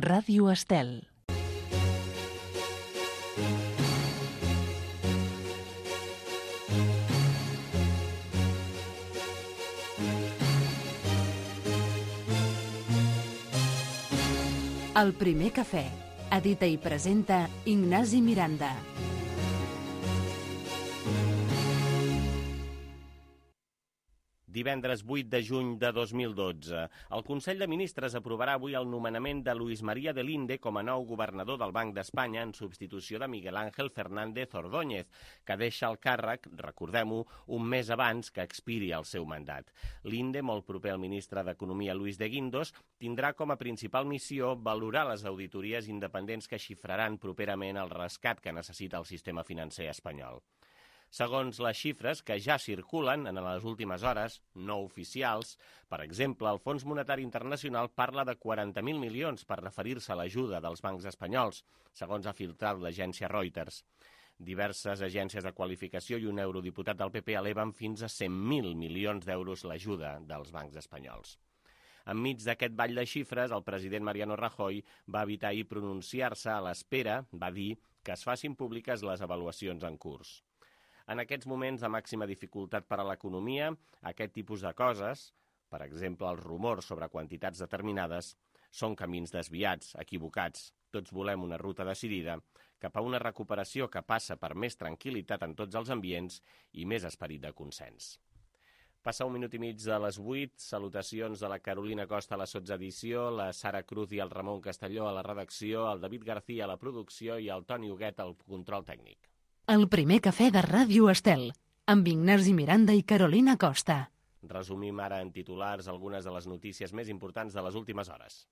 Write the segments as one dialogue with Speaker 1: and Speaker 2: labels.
Speaker 1: Ràdio Estel. El primer cafè. Edita i presenta Ignasi Miranda.
Speaker 2: Divendres 8 de juny de 2012. El Consell de Ministres aprovarà avui el nomenament de Luis María de Linde com a nou governador del Banc d'Espanya en substitució de Miguel Ángel Fernández Ordóñez, que deixa el càrrec, recordem-ho, un mes abans que expiri el seu mandat. Linde, molt proper al ministre d'Economia Luis de Guindos, tindrà com a principal missió valorar les auditories independents que xifraran properament el rescat que necessita el sistema financer espanyol. Segons les xifres que ja circulen en les últimes hores, no oficials, per exemple, el Fons Monetari Internacional parla de 40.000 milions per referir-se a l'ajuda dels bancs espanyols, segons ha filtrat l'agència Reuters. Diverses agències de qualificació i un eurodiputat del PP eleven fins a 100.000 milions d'euros l'ajuda dels bancs espanyols. Enmig d'aquest ball de xifres, el president Mariano Rajoy va evitar ahir pronunciar-se a l'espera, va dir, que es facin públiques les avaluacions en curs. En aquests moments de màxima dificultat per a l'economia, aquest tipus de coses, per exemple els rumors sobre quantitats determinades, són camins desviats, equivocats. Tots volem una ruta decidida cap a una recuperació que passa per més tranquil·litat en tots els ambients i més esperit de consens. Passa 1 minut i mig de les 8, salutacions de la Carolina Costa a la sotsedició, la Sara Cruz i el Ramon Castelló a la redacció, el David García a la producció i el Toni Huguet al control tècnic.
Speaker 1: El primer cafè de Ràdio Estel, amb Ignasi Miranda i Carolina Costa.
Speaker 2: Resumim ara en titulars algunes de les notícies més importants de les últimes hores.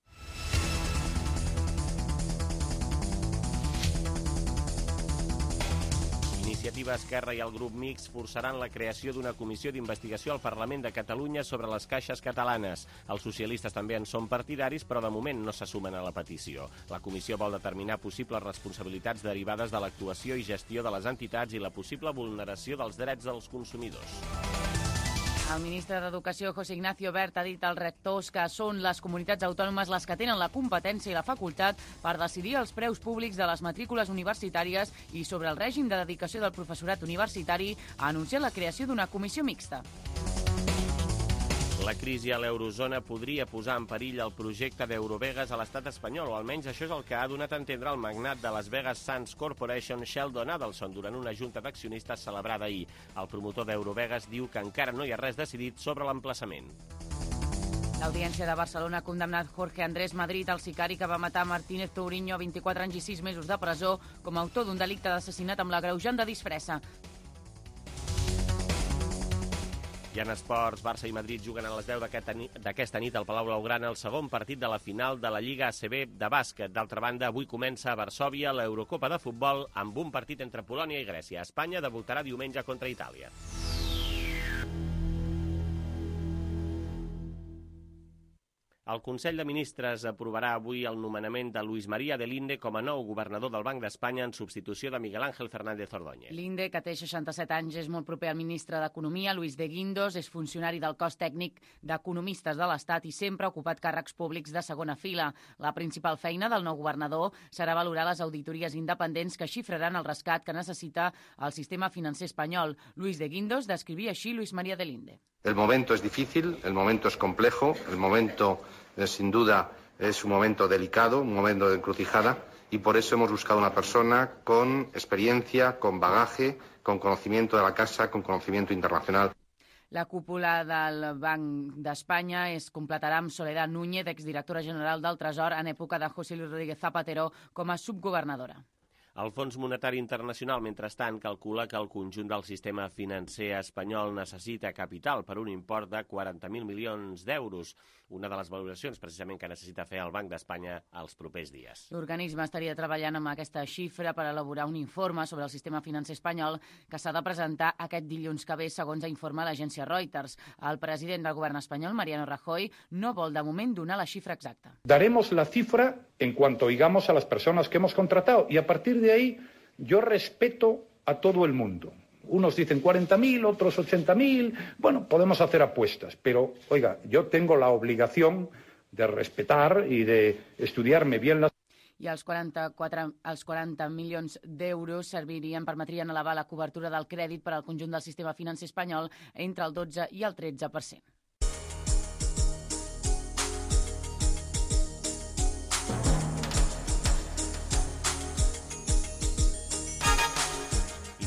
Speaker 2: Iniciativa Esquerra i el grup Mix forçaran la creació d'una comissió d'investigació al Parlament de Catalunya sobre les caixes catalanes. Els socialistes també en són partidaris, però de moment no se sumen a la petició. La comissió vol determinar possibles responsabilitats derivades de l'actuació i gestió de les entitats i la possible vulneració dels drets dels consumidors.
Speaker 3: El ministre d'Educació, José Ignacio Wert, ha dit als rectors que són les comunitats autònomes les que tenen la competència i la facultat per decidir els preus públics de les matrícules universitàries i sobre el règim de dedicació del professorat universitari ha anunciat la creació d'una comissió mixta.
Speaker 2: La crisi a l'eurozona podria posar en perill el projecte d'Eurovegas a l'estat espanyol, o almenys això és el que ha donat a entendre el magnat de Las Vegas Sands Corporation, Sheldon Adelson, durant una junta d'accionistes celebrada ahir. El promotor d'Eurovegas diu que encara no hi ha res decidit sobre l'emplaçament.
Speaker 3: L'Audiència de Barcelona ha condemnat Jorge Andrés Madrid, el sicari que va matar Martínez Touriño a 24 anys i 6 mesos de presó, com a autor d'un delicte d'assassinat amb l'agreujant de disfressa.
Speaker 2: I en esports, Barça i Madrid juguen a les 10 d'aquesta nit al Palau Blaugrana el segon partit de la final de la Lliga ACB de bàsquet. D'altra banda, avui comença a Varsòvia l'Eurocopa de futbol amb un partit entre Polònia i Grècia. Espanya debutarà diumenge contra Itàlia. El Consell de Ministres aprovarà avui el nomenament de Luis María de Linde com a nou governador del Banc d'Espanya en substitució de Miguel Ángel Fernández Ordóñez.
Speaker 3: Linde, que té 67 anys, és molt proper al ministre d'Economia, Luis de Guindos, és funcionari del cos tècnic d'economistes de l'Estat i sempre ha ocupat càrrecs públics de segona fila. La principal feina del nou governador serà valorar les auditories independents que xifraran el rescat que necessita el sistema financer espanyol. Luis de Guindos descrivia així Luis María de Linde.
Speaker 4: El momento es difícil, el momento es complejo, el momento sin duda es un momento delicado, un momento de encrucijada y por eso hemos buscado una persona con experiencia, con bagaje, con conocimiento de la casa, con conocimiento internacional.
Speaker 3: La cúpula del Banc d'Espanya es completarà amb Soledad Núñez, exdirectora general del Tresor, en època de José Luis Rodríguez Zapatero, com a subgovernadora.
Speaker 2: El Fons Monetari Internacional, mentrestant, calcula que el conjunt del sistema financer espanyol necessita capital per un import de 40.000 milions d'euros, una de les valoracions precisament que necessita fer el Banc d'Espanya els propers dies.
Speaker 3: L'organisme estaria treballant amb aquesta xifra per elaborar un informe sobre el sistema financer espanyol que s'ha de presentar aquest dilluns que ve, segons informa l'agència Reuters. El president del govern espanyol, Mariano Rajoy, no vol de moment donar la xifra exacta.
Speaker 5: Daremos la cifra en cuanto oigamos a las personas que hemos contratado y a partir de ahí yo respeto a todo el mundo. Unos dicen 40.000, otros 80.000. Bueno, podemos hacer apuestas, pero, oiga, yo tengo la obligación de respetar y de estudiarme bien las...
Speaker 3: I els 40 milions d'euros permetrien elevar la cobertura del crèdit per al conjunt del sistema financer espanyol entre el 12 i el 13%.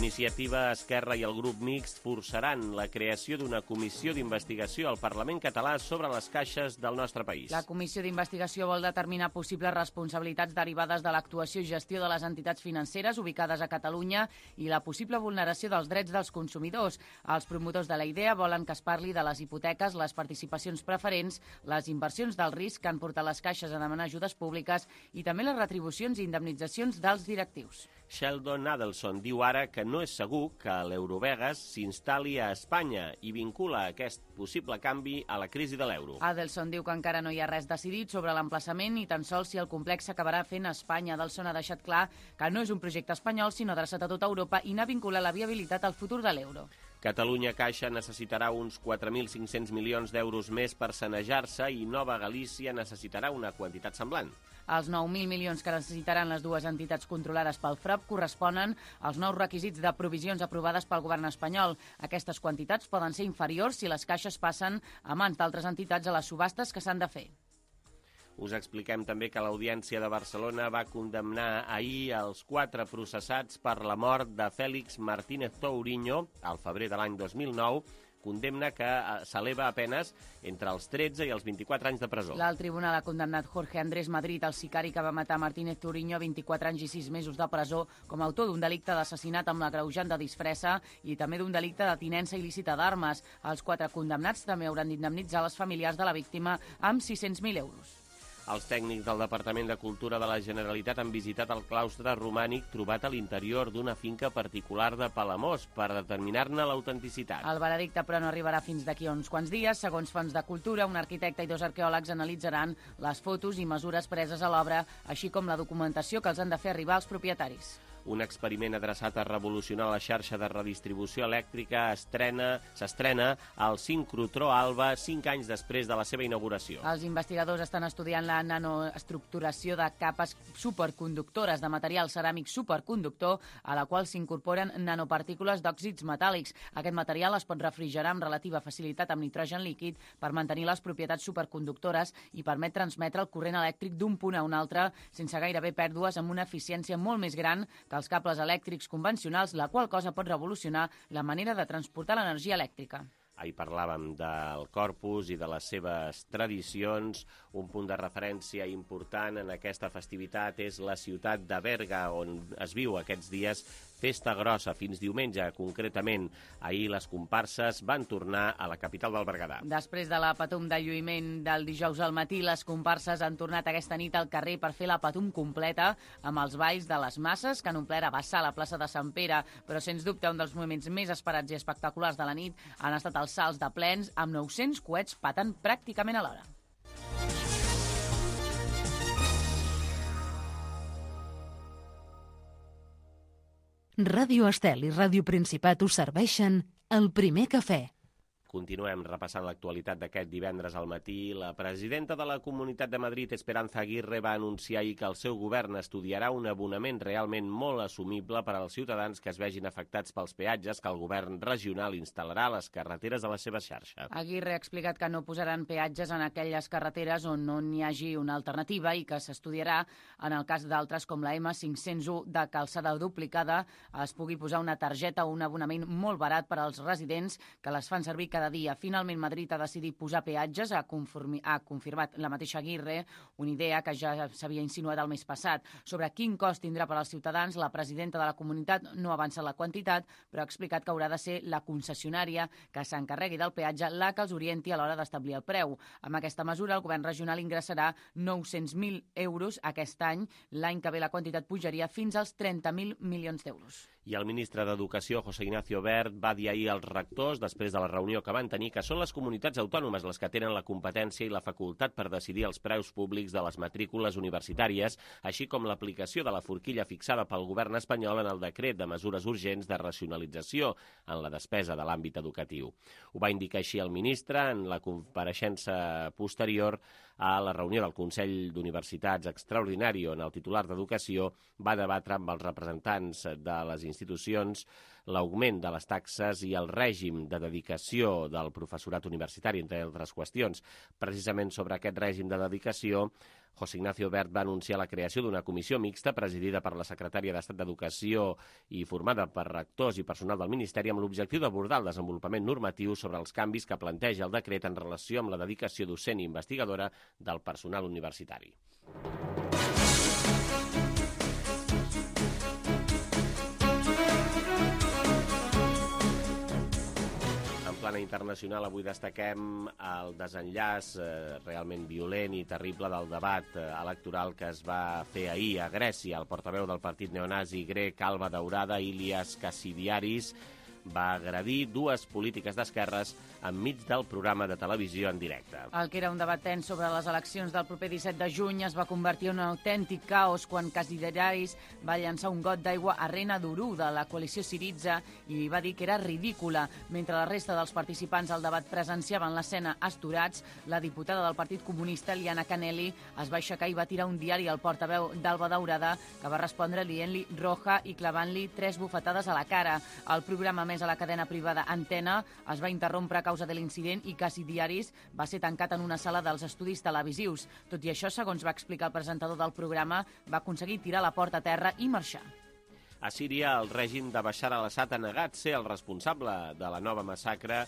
Speaker 2: Iniciativa Esquerra i el grup mixt forçaran la creació d'una comissió d'investigació al Parlament català sobre les caixes del nostre país.
Speaker 3: La comissió d'investigació vol determinar possibles responsabilitats derivades de l'actuació i gestió de les entitats financeres ubicades a Catalunya i la possible vulneració dels drets dels consumidors. Els promotors de la idea volen que es parli de les hipoteques, les participacions preferents, les inversions del risc que han portat les caixes a demanar ajudes públiques i també les retribucions i indemnitzacions dels directius.
Speaker 2: Sheldon Adelson diu ara que no és segur que l'Eurovegas s'instal·li a Espanya i vincula aquest possible canvi a la crisi de l'euro.
Speaker 3: Adelson diu que encara no hi ha res decidit sobre l'emplaçament ni tan sols si el complex s'acabarà fent a Espanya. Adelson ha deixat clar que no és un projecte espanyol, sinó adreçat a tota Europa i n'ha vinculat la viabilitat al futur de l'euro.
Speaker 2: Catalunya Caixa necessitarà uns 4.500 milions d'euros més per sanejar-se i Nova Galícia necessitarà una quantitat semblant.
Speaker 3: Els 9.000 milions que necessitaran les dues entitats controlades pel FRAP corresponen als nous requisits de provisions aprovades pel govern espanyol. Aquestes quantitats poden ser inferiors si les caixes passen a mans d'altres entitats a les subhastes que s'han de fer.
Speaker 2: Us expliquem també que l'Audiència de Barcelona va condemnar ahir els 4 processats per la mort de Félix Martínez Tourinho al febrer de l'any 2009, condemna que s'eleva a penes entre els 13 i els 24 anys de presó.
Speaker 3: L'alt tribunal ha condemnat Jorge Andrés Madrid, el sicari que va matar Martínez Tourinho, a 24 anys i 6 mesos de presó com a autor d'un delicte d'assassinat amb l'agreujant de disfressa i també d'un delicte de tinença il·lícita d'armes. Els 4 condemnats també hauran d'indemnitzar les familiars de la víctima amb 600.000 euros.
Speaker 2: Els tècnics del Departament de Cultura de la Generalitat han visitat el claustre romànic trobat a l'interior d'una finca particular de Palamós per determinar-ne l'autenticitat.
Speaker 3: El veredicte, però, no arribarà fins d'aquí a uns quants dies. Segons fonts de cultura, un arquitecte i 2 arqueòlegs analitzaran les fotos i mesures preses a l'obra, així com la documentació que els han de fer arribar als propietaris.
Speaker 2: Un experiment adreçat a revolucionar la xarxa de redistribució elèctrica s'estrena al sincrotró Alba 5 anys després de la seva inauguració.
Speaker 3: Els investigadors estan estudiant la nanoestructuració de capes superconductores de material ceràmic superconductor a la qual s'incorporen nanopartícules d'òxids metàl·lics. Aquest material es pot refrigerar amb relativa facilitat amb nitrogen líquid per mantenir les propietats superconductores i permet transmetre el corrent elèctric d'un punt a un altre sense gairebé pèrdues amb una eficiència molt més gran que els cables elèctrics convencionals, la qual cosa pot revolucionar la manera de transportar l'energia elèctrica.
Speaker 2: Ahir parlàvem del Corpus i de les seves tradicions. Un punt de referència important en aquesta festivitat és la ciutat de Berga, on es viu aquests dies festa grossa, fins diumenge concretament. Ahir les comparses van tornar a la capital del Berguedà.
Speaker 3: Després de la patum de lluïment del dijous al matí, les comparses han tornat aquesta nit al carrer per fer la patum completa amb els balls de les masses que han omplert a vessar la plaça de Sant Pere, però sens dubte un dels moments més esperats i espectaculars de la nit han estat els salts de plens amb 900 coets patant pràcticament alhora.
Speaker 1: Ràdio Estel i Ràdio Principat us serveixen el primer cafè.
Speaker 2: Continuem repassant l'actualitat d'aquest divendres al matí. La presidenta de la Comunitat de Madrid, Esperanza Aguirre, va anunciar ahir que el seu govern estudiarà un abonament realment molt assumible per als ciutadans que es vegin afectats pels peatges que el govern regional instal·larà a les carreteres de la seva xarxa.
Speaker 3: Aguirre ha explicat que no posaran peatges en aquelles carreteres on no n'hi hagi una alternativa i que s'estudiarà en el cas d'altres com la M501 de calçada duplicada es pugui posar una targeta o un abonament molt barat per als residents que les fan servir cada dia. Finalment, Madrid ha decidit posar peatges, ha confirmat la mateixa Aguirre, una idea que ja s'havia insinuat el mes passat. Sobre quin cost tindrà per als ciutadans, la presidenta de la comunitat no avança la quantitat, però ha explicat que haurà de ser la concessionària que s'encarregui del peatge la que els orienti a l'hora d'establir el preu. Amb aquesta mesura, el govern regional ingressarà 900.000 euros aquest any. L'any que ve la quantitat pujaria fins als 30.000 milions d'euros.
Speaker 2: I el ministre d'Educació, José Ignacio Wert, va dir ahir als rectors, després de la reunió que van tenir, que són les comunitats autònomes les que tenen la competència i la facultat per decidir els preus públics de les matrícules universitàries, així com l'aplicació de la forquilla fixada pel govern espanyol en el decret de mesures urgents de racionalització en la despesa de l'àmbit educatiu. Ho va indicar així el ministre en la compareixença posterior a la reunió del Consell d'Universitats extraordinari on el titular d'Educació va debatre amb els representants de les institucions l'augment de les taxes i el règim de dedicació del professorat universitari, entre altres qüestions. Precisament sobre aquest règim de dedicació, José Ignacio Wert va anunciar la creació d'una comissió mixta presidida per la secretària d'Estat d'Educació i formada per rectors i personal del Ministeri amb l'objectiu d'abordar el desenvolupament normatiu sobre els canvis que planteja el decret en relació amb la dedicació docent i investigadora del personal universitari. Plana internacional, avui destaquem el desenllaç realment violent i terrible del debat electoral que es va fer ahir a Grècia. El portaveu del partit neonazi grec Alba Daurada, Ilias Kasidiaris, va agredir dues polítiques d'esquerres enmig del programa de televisió en directe.
Speaker 3: El que era un debat tens sobre les eleccions del proper 17 de juny es va convertir en un autèntic caos quan Kasidiaris va llançar un got d'aigua a Rena Duru de la coalició Syriza i va dir que era ridícula. Mentre la resta dels participants al debat presenciaven l'escena astorats, la diputada del Partit Comunista, Liana Canelli, es va aixecar i va tirar un diari al portaveu d'Alba Daurada, que va respondre dient-li roja i clavant-li 3 bufetades a la cara. El programa a la cadena privada Antena es va interrompre a causa de l'incident i Kasidiaris va ser tancat en una sala dels estudis televisius. Tot i això, segons va explicar el presentador del programa, va aconseguir tirar la porta a terra i marxar.
Speaker 2: A Síria, el règim de Bashar al-Assad ha negat ser el responsable de la nova massacre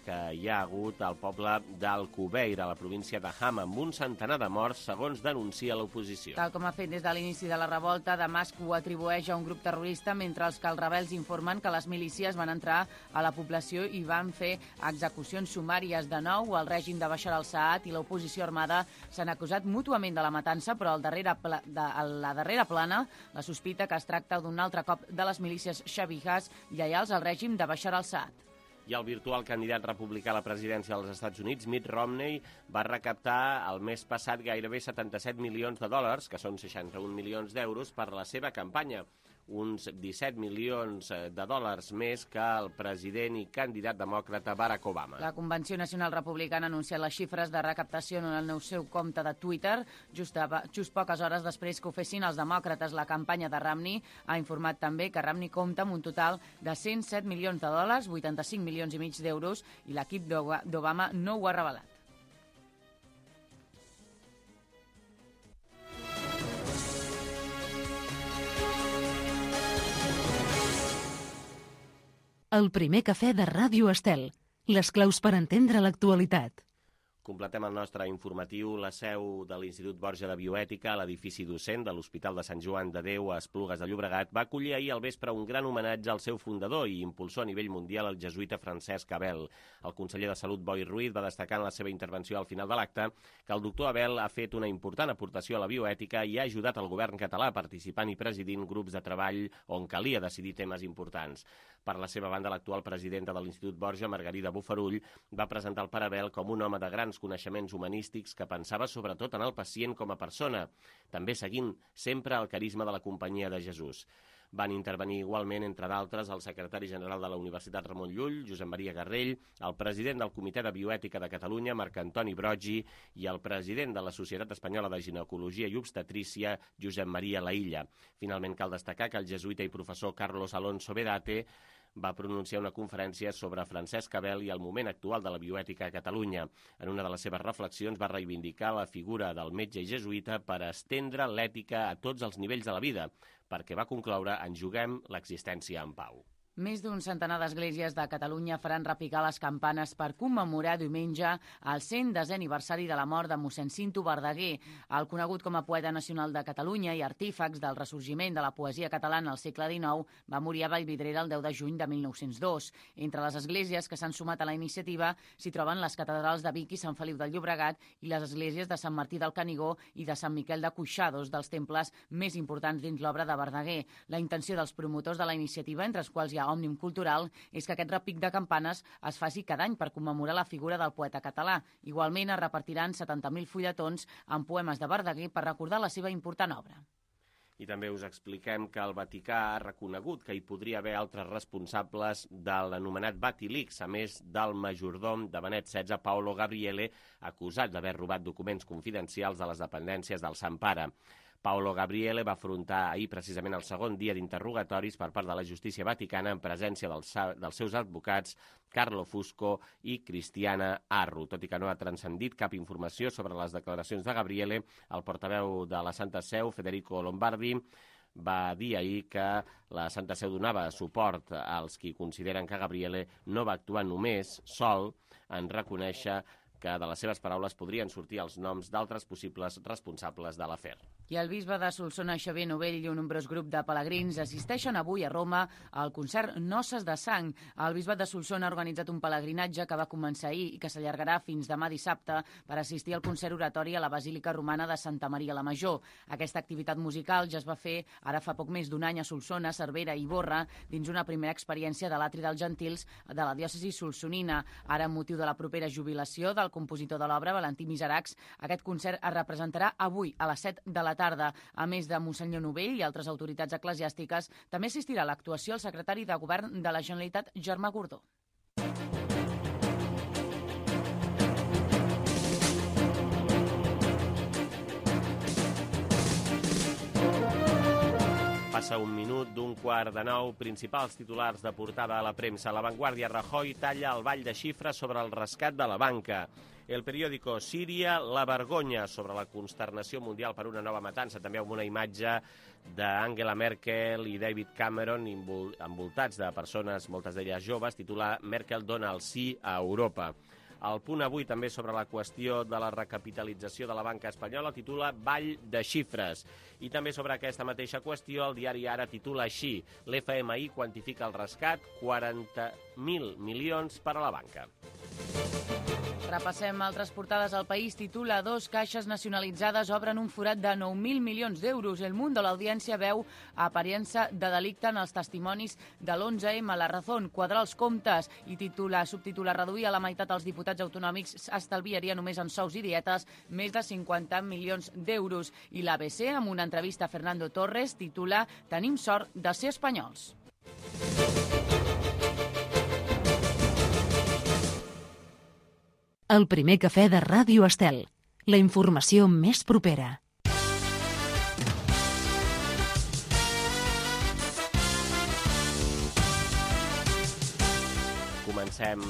Speaker 2: que hi ha hagut al poble d'Al-Kubeir, a la província de Hama, amb un centenar de morts, segons denuncia l'oposició.
Speaker 3: Tal com ha fet des de l'inici de la revolta, Damasc ho atribueix a un grup terrorista, mentre que els rebels informen que les milícies van entrar a la població i van fer execucions sumàries. De nou, el règim de Bashar al-Assad i l'oposició armada s'han acusat mútuament de la matança, però a la darrera plana la sospita que es tracta d'un altre cop de les milícies xavihas lleials al règim de Bashar al-Assad.
Speaker 2: I el virtual candidat republicà a la presidència dels Estats Units, Mitt Romney, va recaptar el mes passat gairebé 77 milions de dòlars, que són 61 milions d'euros, per la seva campanya. Uns 17 milions de dòlars més que el president i candidat demòcrata Barack Obama.
Speaker 3: La Convenció Nacional Republicana ha anunciat les xifres de recaptació en el seu compte de Twitter. Just poques hores després que ho fessin els demòcrates, la campanya de Romney ha informat també que Romney compta amb un total de 107 milions de dòlars, 85 milions i mig d'euros, i l'equip d'Obama no ho ha revelat.
Speaker 1: El primer cafè de Ràdio Estel. Les claus per entendre l'actualitat.
Speaker 2: Completem el nostre informatiu. La seu de l'Institut Borja de Bioètica, a l'edifici docent de l'Hospital de Sant Joan de Déu a Esplugues de Llobregat, va acollir ahir al vespre un gran homenatge al seu fundador i impulsor a nivell mundial, el jesuïta Francesc Abel. El conseller de Salut, Boi Ruiz, va destacar en la seva intervenció al final de l'acte que el doctor Abel ha fet una important aportació a la bioètica i ha ajudat el govern català participant i presidint grups de treball on calia decidir temes importants. Per la seva banda, l'actual presidenta de l'Institut Borja, Margarida Bofarull, va presentar el pare Abel com un home de grans coneixements humanístics que pensava sobretot en el pacient com a persona, també seguint sempre el carisma de la Companyia de Jesús. Van intervenir igualment, entre d'altres, el secretari general de la Universitat Ramon Llull, Josep Maria Garrell, el president del Comitè de Bioètica de Catalunya, Marc Antoni Broggi, i el president de la Societat Espanyola de Ginecologia i Obstetrícia, Josep Maria Laïlla. Finalment, cal destacar que el jesuïta i professor Carlos Alonso Bedate va pronunciar una conferència sobre Francesc Abel i el moment actual de la bioètica a Catalunya. En una de les seves reflexions va reivindicar la figura del metge i jesuïta per estendre l'ètica a tots els nivells de la vida, perquè va concloure: en juguem l'existència en pau.
Speaker 3: Més d'un centenar d'esglésies de Catalunya faran repicar les campanes per commemorar diumenge el 110è aniversari de la mort de mossèn Cinto Verdaguer, el conegut com a poeta nacional de Catalunya i artífex del ressorgiment de la poesia catalana al segle XIX, va morir a Vallvidrera el 10 de juny de 1902. Entre les esglésies que s'han sumat a la iniciativa s'hi troben les catedrals de Vic i Sant Feliu del Llobregat i les esglésies de Sant Martí del Canigó i de Sant Miquel de Cuixà, dos dels temples més importants dins l'obra de Verdaguer. La intenció dels promotors de la iniciativa, entre els quals hi ha Òmnium Cultural, és que aquest repic de campanes es faci cada any per commemorar la figura del poeta català. Igualment es repartiran 70.000 fulletons amb poemes de Verdaguer per recordar la seva important obra.
Speaker 2: I també us expliquem que el Vaticà ha reconegut que hi podria haver altres responsables de l'anomenat Vatilix, a més del majordom de Benet XVI, Paolo Gabriele, acusat d'haver robat documents confidencials de les dependències del Sant Pare. Paolo Gabriele va afrontar ahir precisament el segon dia d'interrogatoris per part de la justícia vaticana en presència dels seus advocats Carlo Fusco i Cristiana Arru. Tot i que no ha transcendit cap informació sobre les declaracions de Gabriele, el portaveu de la Santa Seu, Federico Lombardi, va dir ahir que la Santa Seu donava suport als qui consideren que Gabriele no va actuar només sol en reconèixer que de les seves paraules podrien sortir els noms d'altres possibles responsables de l'afer.
Speaker 3: I el bisbe de Solsona, Xavier Novell, i un nombrós grup de pelegrins assisteixen avui a Roma al concert Noces de Sang. El bisbat de Solsona ha organitzat un pelegrinatge que va començar ahir i que s'allargarà fins demà dissabte per assistir al concert oratori a la Basílica Romana de Santa Maria la Major. Aquesta activitat musical ja es va fer ara fa poc més d'un any a Solsona, Cervera i Ivorra, dins una primera experiència de l'Atri dels Gentils de la diòcesi solsonina. Ara, amb motiu de la propera jubilació del compositor de l'obra, Valentí Miseracs, aquest concert es representarà avui a les 7 de la tarda. A més de Monsenyor Novell i altres autoritats eclesiàstiques, també assistirà a l'actuació el secretari de Govern de la Generalitat, Germà Gordó.
Speaker 2: Passa un minut d'un quart de 9, principals titulars de portada a la premsa. La Vanguardia: Rajoy talla el ball de xifres sobre el rescat de la banca. El periòdico: Síria, la vergonya, sobre la consternació mundial per una nova matança, també amb una imatge d'Angela Merkel i David Cameron envoltats de persones, moltes d'elles joves, titula Merkel dona el sí a Europa. El Punt Avui, també sobre la qüestió de la recapitalització de la banca espanyola, titula Ball de xifres. I també sobre aquesta mateixa qüestió, el diari Ara titula així: l'FMI quantifica el rescat, 40.000 milions per a la banca.
Speaker 3: Repassem altres portades. El País titula: 2 caixes nacionalitzades obren un forat de 9.000 milions d'euros. El Mundo, l'Audiència veu aparença de delicte en els testimonis de l'11M. La Razón, quadrar els comptes, i subtitula: reduir a la meitat els diputats autonòmics estalviaria només en sous i dietes més de 50 milions d'euros. I l'ABC, amb una entrevista a Fernando Torres, titula: tenim sort de ser espanyols.
Speaker 1: El primer cafè de Ràdio Estel. La informació més propera.
Speaker 2: Comencem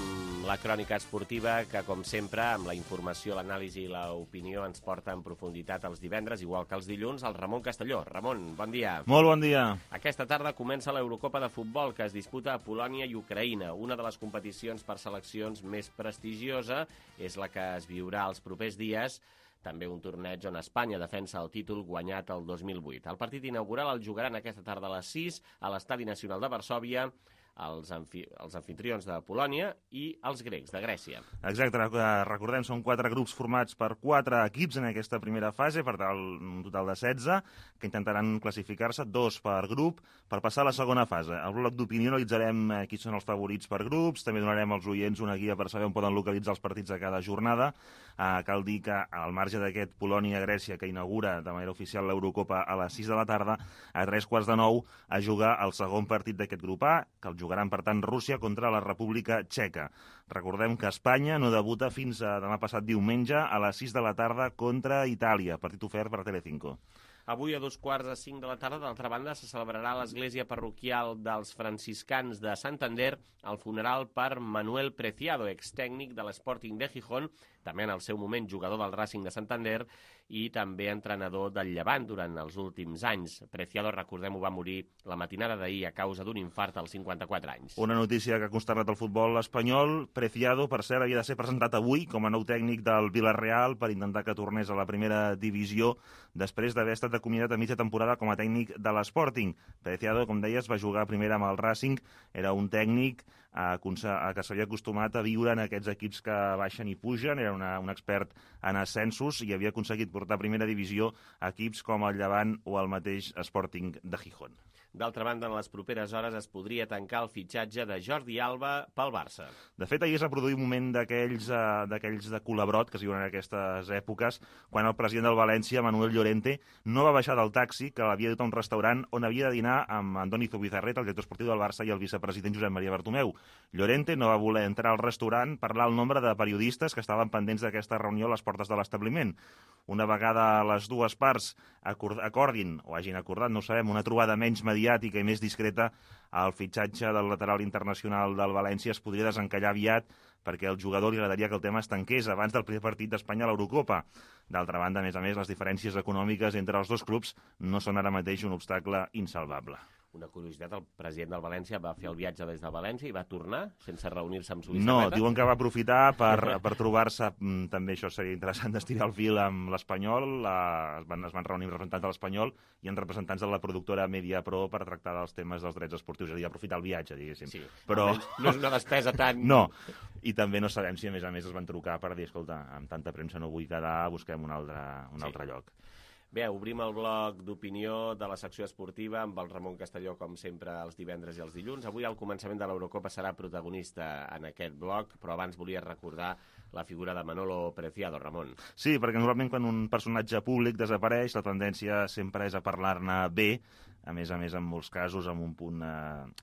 Speaker 2: la crònica esportiva que, com sempre, amb la informació, l'anàlisi i l'opinió ens porta en profunditat els divendres, igual que els dilluns, el Ramon Castelló. Ramon, bon dia.
Speaker 6: Molt bon dia.
Speaker 2: Aquesta tarda comença l'Eurocopa de futbol que es disputa a Polònia i Ucraïna. Una de les competicions per seleccions més prestigiosa és la que es viurà els propers dies, també un torneig on Espanya defensa el títol guanyat el 2008. El partit inaugural el jugaran aquesta tarda a les 6 a l'Estadi Nacional de Varsòvia, els anfitrions de Polònia i els grecs de Grècia.
Speaker 6: Exacte, recordem, són 4 grups formats per 4 equips en aquesta primera fase, per tal, un total de 16, que intentaran classificar-se 2 per grup per passar a la segona fase. Al bloc d'opinió analitzarem qui són els favorits per grups, també donarem als oients una guia per saber on poden localitzar els partits de cada jornada. Cal dir que, al marge d'aquest Polònia-Grècia, que inaugura de manera oficial l'Eurocopa a les 6 de la tarda, a 3:15 a jugar el segon partit d'aquest grup A, que el jugaran, per tant, Rússia contra la República Txeca. Recordem que Espanya no debuta fins a demà passat diumenge a les 6 de la tarda contra Itàlia, partit ofert per Telecinco.
Speaker 2: Avui a 4:45 de la tarda, d'altra banda, se celebrarà a l'església parroquial dels franciscans de Santander el funeral per Manuel Preciado, extècnic de l'Sporting de Gijón, també en el seu moment jugador del Racing de Santander i també entrenador del Llevant durant els últims anys. Preciado, recordem-ho, va morir la matinada d'ahir a causa d'un infart als 54 anys.
Speaker 6: Una notícia que ha consternat el futbol espanyol. Preciado, per cert, havia de ser presentat avui com a nou tècnic del Villarreal per intentar que tornés a la primera divisió després d'haver estat acomiadat a mitja temporada com a tècnic de l'Sporting. Preciado, com deies, va jugar primer amb el Racing, era un tècnic que s'havia acostumat a viure en aquests equips que baixen i pugen, era era un expert en ascensos i havia aconseguit portar a primera divisió equips com el Llevant o el mateix Sporting de Gijón.
Speaker 2: D'altra banda, en les properes hores es podria tancar el fitxatge de Jordi Alba pel Barça.
Speaker 6: De fet, ahir es va produir un moment d'aquells de culabrot que es diuen en aquestes èpoques, quan el president del València, Manuel Llorente, no va baixar del taxi que l'havia dut a un restaurant on havia de dinar amb Andoni Zubizarreta, el director esportiu del Barça, i el vicepresident Josep Maria Bartomeu. Llorente no va voler entrar al restaurant, parlar el nombre de periodistes que estaven pendents d'aquesta reunió a les portes de l'establiment. Una vegada les dues parts acordin, o hagin acordat, no ho sabem, una trobada menys mediàtica i més discreta, el fitxatge del lateral internacional del València es podria desencallar aviat perquè al jugador li agradaria que el tema es tanqués abans del primer partit d'Espanya a l'Eurocopa. D'altra banda, a més, les diferències econòmiques entre els dos clubs no són ara mateix un obstacle insalvable.
Speaker 2: Una curiositat, el president del València va fer el viatge des de València i va tornar sense reunir-se amb Zubizarreta?
Speaker 6: No, diuen que va aprofitar per trobar-se, també això seria interessant d'estirar el fil amb l'Espanyol, es van reunir representants de l'Espanyol i en representants de la productora Mediapro per tractar dels temes dels drets esportius, és a dir, aprofitar el viatge, diguéssim.
Speaker 2: Sí,
Speaker 6: però
Speaker 2: no és una despesa tan...
Speaker 6: No, i també no sabem si a més es van trucar per dir, escolta, amb tanta premsa no vull quedar, busquem un altre lloc.
Speaker 2: Bé, obrim el bloc d'opinió de la secció esportiva amb el Ramon Castelló, com sempre, els divendres i els dilluns. Avui el començament de l'Eurocopa serà protagonista en aquest bloc, però abans volia recordar la figura de Manolo Preciado, Ramon.
Speaker 6: Sí, perquè normalment quan un personatge públic desapareix, la tendència sempre és a parlar-ne bé, a més, en molts casos, amb un punt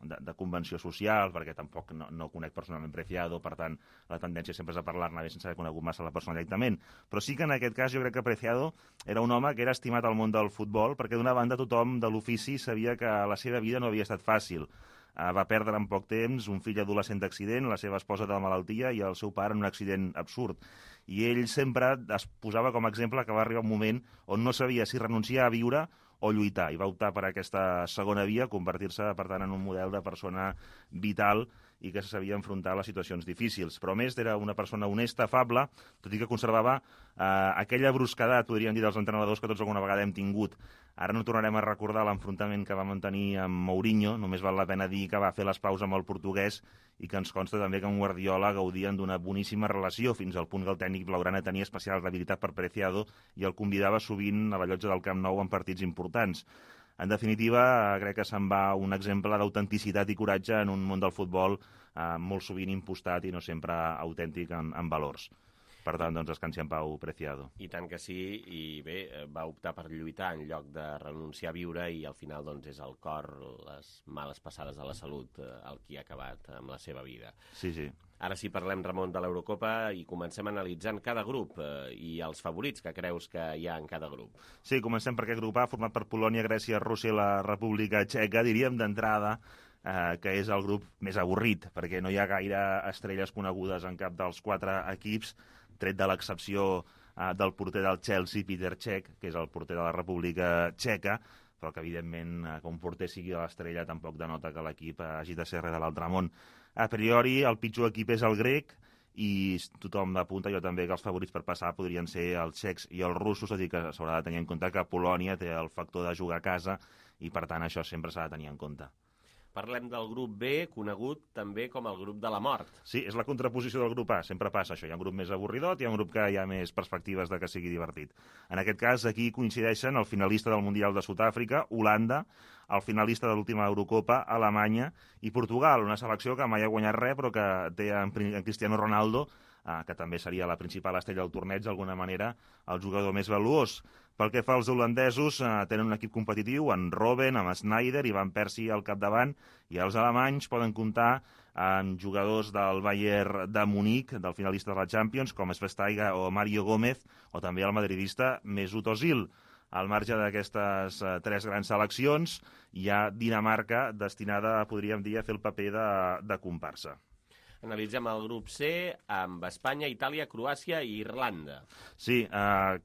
Speaker 6: de convenció social, perquè tampoc no conec personalment Preciado, per tant, la tendència sempre és a parlar-ne bé sense haver conegut massa la persona directament. Però sí que en aquest cas jo crec que Preciado era un home que era estimat al món del futbol, perquè d'una banda tothom de l'ofici sabia que la seva vida no havia estat fàcil. Va perdre en poc temps un fill adolescent d'accident, la seva esposa de malaltia i el seu pare en un accident absurd. I ell sempre es posava com a exemple que va arribar un moment on no sabia si renunciar a viure o lluitar, i va optar per aquesta segona via, convertir-se, per tant, en un model de persona vital i que se sabia enfrontar a les situacions difícils. Però, a més, era una persona honesta, afable, tot i que conservava aquella brusquedat, podríem dir, dels entrenadors que tots alguna vegada hem tingut. Ara no tornarem a recordar l'enfrontament que va mantenir amb Mourinho, només val la pena dir que va fer les paus amb el portuguès i que ens consta també que amb Guardiola gaudien d'una boníssima relació, fins al punt que el tècnic blaugrana tenia especial debilitat per Preciado i el convidava sovint a la llotja del Camp Nou en partits importants. En definitiva, crec que se'n va un exemple d'autenticitat i coratge en un món del futbol molt sovint impostat i no sempre autèntic en valors. Per tant, doncs, descansi en pau, Preciado.
Speaker 2: I tant que sí, i bé, va optar per lluitar en lloc de renunciar a viure i al final doncs, és el cor, les males passades de la salut, el qui ha acabat amb la seva vida.
Speaker 6: Sí, sí.
Speaker 2: Ara sí parlem, Ramon, de l'Eurocopa i comencem analitzant cada grup i els favorits que creus que hi ha en cada grup.
Speaker 6: Sí, comencem per aquest grup A, format per Polònia, Grècia, Rússia i la República Txeca. Diríem d'entrada que és el grup més avorrit, perquè no hi ha gaire estrelles conegudes en cap dels quatre equips, tret de l'excepció del porter del Chelsea, Peter Cech, que és el porter de la República Txeca, però que, evidentment, que un porter sigui l'estrella tampoc denota que l'equip hagi de ser res de l'altre món. A priori, el pitjor equip és el grec, i tothom apunta, jo també, que els favorits per passar podrien ser els txecs i els russos, és a dir, que s'haurà de tenir en compte que Polònia té el factor de jugar a casa i, per tant, això sempre s'ha de tenir en compte.
Speaker 2: Parlem del grup B, conegut també com el grup de la mort.
Speaker 6: Sí, és la contraposició del grup A, sempre passa això. Hi ha un grup més avorridot i hi ha un grup que hi ha més perspectives de que sigui divertit. En aquest cas, aquí coincideixen el finalista del Mundial de Sud-àfrica, Holanda, el finalista de l'última Eurocopa, Alemanya, i Portugal, una selecció que mai ha guanyat res, però que té en Cristiano Ronaldo, que també seria la principal estrella del torneig, d'alguna manera, el jugador més valuós. Pel que fa als holandesos, tenen un equip competitiu, en Robben, amb Sneijder i Van Persie al capdavant, i els alemanys poden comptar amb jugadors del Bayern de Munic, del finalista de la Champions, com Schweinsteiger o Mario Gómez, o també el madridista Mesut Özil. Al marge d'aquestes tres grans seleccions, hi ha Dinamarca destinada, podríem dir, a fer el paper de comparsa.
Speaker 2: Analitzem el grup C amb Espanya, Itàlia, Croàcia i Irlanda.
Speaker 6: Sí,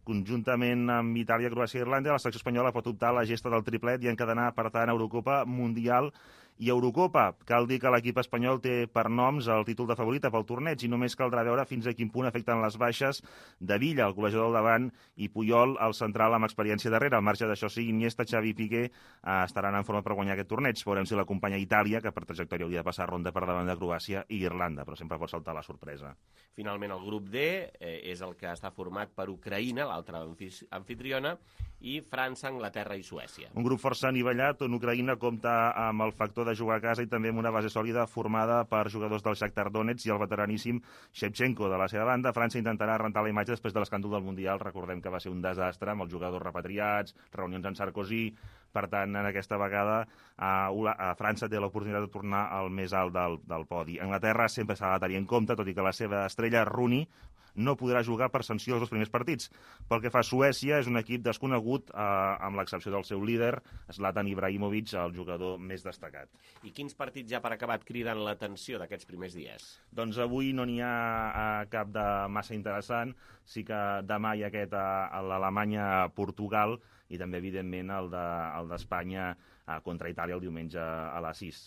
Speaker 6: conjuntament amb Itàlia, Croàcia i Irlanda, la selecció espanyola pot optar a la gesta del triplet i encadenar, per tant, Eurocopa, Mundial I Eurocopa, cal dir que l'equip espanyol té per noms el títol de favorita pel torneig i només caldrà veure fins a quin punt afecten les baixes de Villa, el golejador del davant, i Puyol, el central amb experiència darrere. Al marge d'això, sí, Iniesta, Xavi i Piqué estaran en forma per guanyar aquest torneig. Veurem si l'acompanya Itàlia, que per trajectòria hauria de passar ronda per davant de Croàcia i Irlanda, però sempre pot saltar la sorpresa.
Speaker 2: Finalment, el grup D és el que està format per Ucraïna, l'altra anfitriona, i França, Anglaterra i Suècia.
Speaker 6: Un grup força anivellat on Ucraïna compta amb el factor de jugar a casa i també amb una base sòlida formada per jugadors del Shakhtar Donetsk i el veteraníssim Shevchenko. De la seva banda, França intentarà rentar la imatge després de l'escàndol del Mundial. Recordem que va ser un desastre amb els jugadors repatriats, reunions amb Sarkozy. Per tant, en aquesta vegada França té l'oportunitat de tornar al més alt del podi. Anglaterra sempre s'ha de tenir en compte, tot i que la seva estrella Rooney no podrà jugar per sanció els dos primers partits. Pel que fa a Suècia, és un equip desconegut, amb l'excepció del seu líder, Zlatan Ibrahimovic, el jugador més destacat.
Speaker 2: I quins partits ja per acabat criden l'atenció d'aquests primers dies?
Speaker 6: Doncs avui no n'hi ha cap de massa interessant. Sí que demà hi ha aquest a l'Alemanya-Portugal i també, evidentment, el d'Espanya contra Itàlia el diumenge a les 6.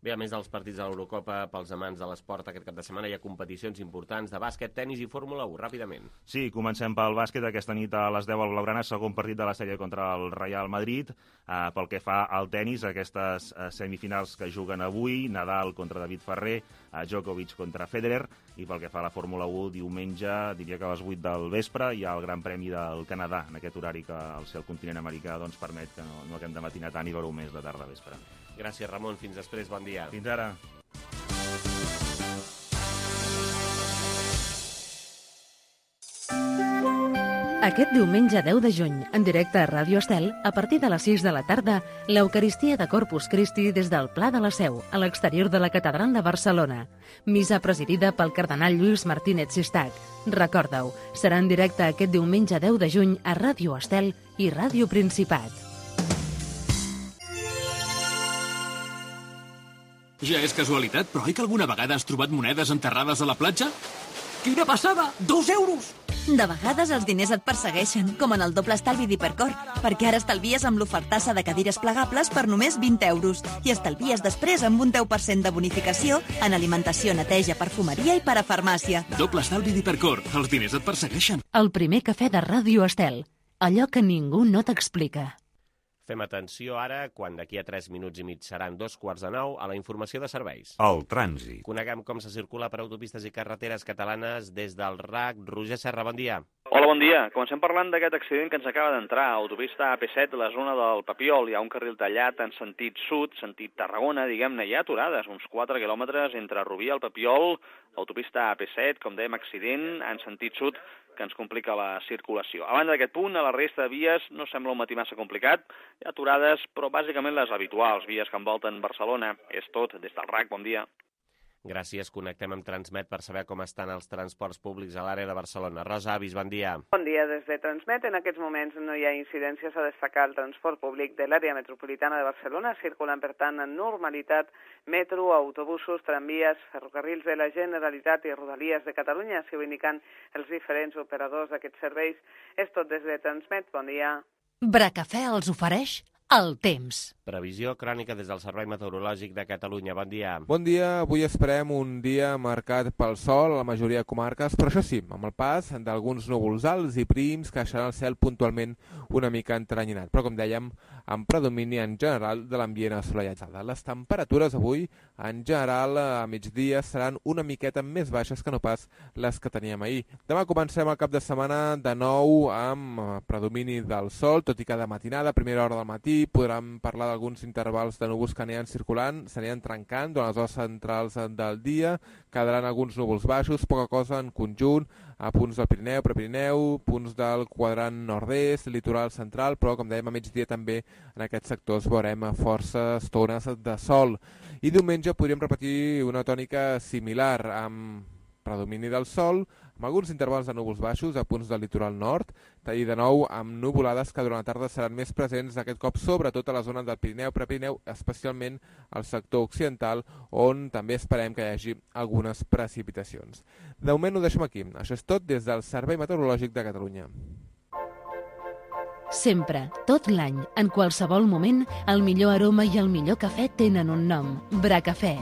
Speaker 2: Bé, a més dels partits de l'Eurocopa, pels amants de l'esport aquest cap de setmana hi ha competicions importants de bàsquet, tenis i Fórmula 1. Ràpidament.
Speaker 6: Sí, comencem pel bàsquet. Aquesta nit a les 10 al Blaugrana, segon partit de la sèrie contra el Real Madrid. Pel que fa al tenis, aquestes semifinals que juguen avui, Nadal contra David Ferrer, Djokovic contra Federer, i pel que fa a la Fórmula 1, diumenge, diria que a les 8 del vespre, hi ha el Gran Premi del Canadà, en aquest horari que al ser el continent americà permet que no haguem de matinar tant i veure més de tarda a vespre.
Speaker 2: Gràcies, Ramon. Fins després. Bon dia.
Speaker 6: Fins ara.
Speaker 1: Aquest diumenge 10 de juny, en directe a Ràdio Estel, a partir de les 6 de la tarda, l'Eucaristia de Corpus Christi des del Pla de la Seu, a l'exterior de la Catedral de Barcelona. Missa presidida pel cardenal Lluís Martínez Sistac. Recorda-ho, serà en directe aquest diumenge 10 de juny a Ràdio Estel i Ràdio Principat.
Speaker 7: Ja és casualitat, però oi que alguna vegada has trobat monedes enterrades a la platja? Quina passada! 2 euros!
Speaker 8: De vegades els diners et persegueixen, com en el doble estalvi d'Hipercor, perquè ara estalvies amb l'ofertassa de cadires plegables per només 20 euros i estalvies després amb un 10% de bonificació en alimentació, neteja, perfumeria i parafarmàcia.
Speaker 7: Doble estalvi d'Hipercor. Els diners et persegueixen.
Speaker 1: El primer cafè de Ràdio Estel. Allò que ningú no t'explica.
Speaker 2: Fem atenció ara, quan d'aquí a 3 minuts i mig seran 8:45, a la informació de serveis.
Speaker 9: El trànsit.
Speaker 2: Coneguem com se circula per autopistes i carreteres catalanes des del RAC. Roger Serra, bon dia.
Speaker 10: Hola, bon dia. Comencem parlant d'aquest accident que ens acaba d'entrar. Autopista AP7, la zona del Papiol. Hi ha un carril tallat en sentit sud, sentit Tarragona, diguem-ne. Hi ha aturades, uns 4 quilòmetres entre Rubí i el Papiol. Autopista AP7, com dèiem, accident en sentit sud que ens complica la circulació. A banda d'aquest punt, a la resta de vies no sembla un matí massa complicat. Hi ha aturades, però bàsicament les habituals, vies que envolten Barcelona. És tot. Des del RAC, bon dia.
Speaker 2: Gràcies. Connectem amb Transmet per saber com estan els transports públics a l'àrea de Barcelona. Rosa Avis, bon dia.
Speaker 11: Bon dia des de Transmet. En aquests moments no hi ha incidències a destacar. El transport públic de l'àrea metropolitana de Barcelona circulen, per tant, en normalitat metro, autobusos, tramvies, ferrocarrils de la Generalitat i Rodalies de Catalunya, si ho indiquen els diferents operadors d'aquests serveis. És tot des de Transmet. Bon dia.
Speaker 1: Bracafè els ofereix el temps.
Speaker 2: Previsió crònica des del Servei Meteorològic de Catalunya. Bon dia.
Speaker 12: Bon dia. Avui esperem un dia marcat pel sol a la majoria de comarques, però això sí, amb el pas d'alguns núvols alts i prims que deixaran el cel puntualment una mica entrenyinat, però com dèiem, amb predomini en general de l'ambient assolellat. Les temperatures avui, en general, a migdia seran una miqueta més baixes que no pas les que teníem ahir. Demà comencem el cap de setmana de nou amb predomini del sol, tot i que de matinada, a primera hora del matí, podrem parlar d'alguns intervals de núvols que aniran circulant, s'aniran trencant durant les hores centrals del dia, quedaran alguns núvols baixos, poca cosa en conjunt, a punts del Pirineu, Prepirineu, punts del quadrant nord-est, litoral central, però com dèiem a migdia també en aquests sectors veurem força estones de sol. I diumenge podríem repetir una tònica similar amb predomini del sol, amb alguns intervals de núvols baixos a punts del litoral nord, i de nou amb nuvolades que durant la tarda seran més presents aquest cop, sobretot a la zona del Pirineu, Prepirineu, especialment al sector occidental, on també esperem que hi hagi algunes precipitacions. De moment ho deixem aquí. Això és tot des del Servei Meteorològic de Catalunya.
Speaker 1: Sempre, tot l'any, en qualsevol moment, el millor aroma i el millor cafè tenen un nom, Bracafè.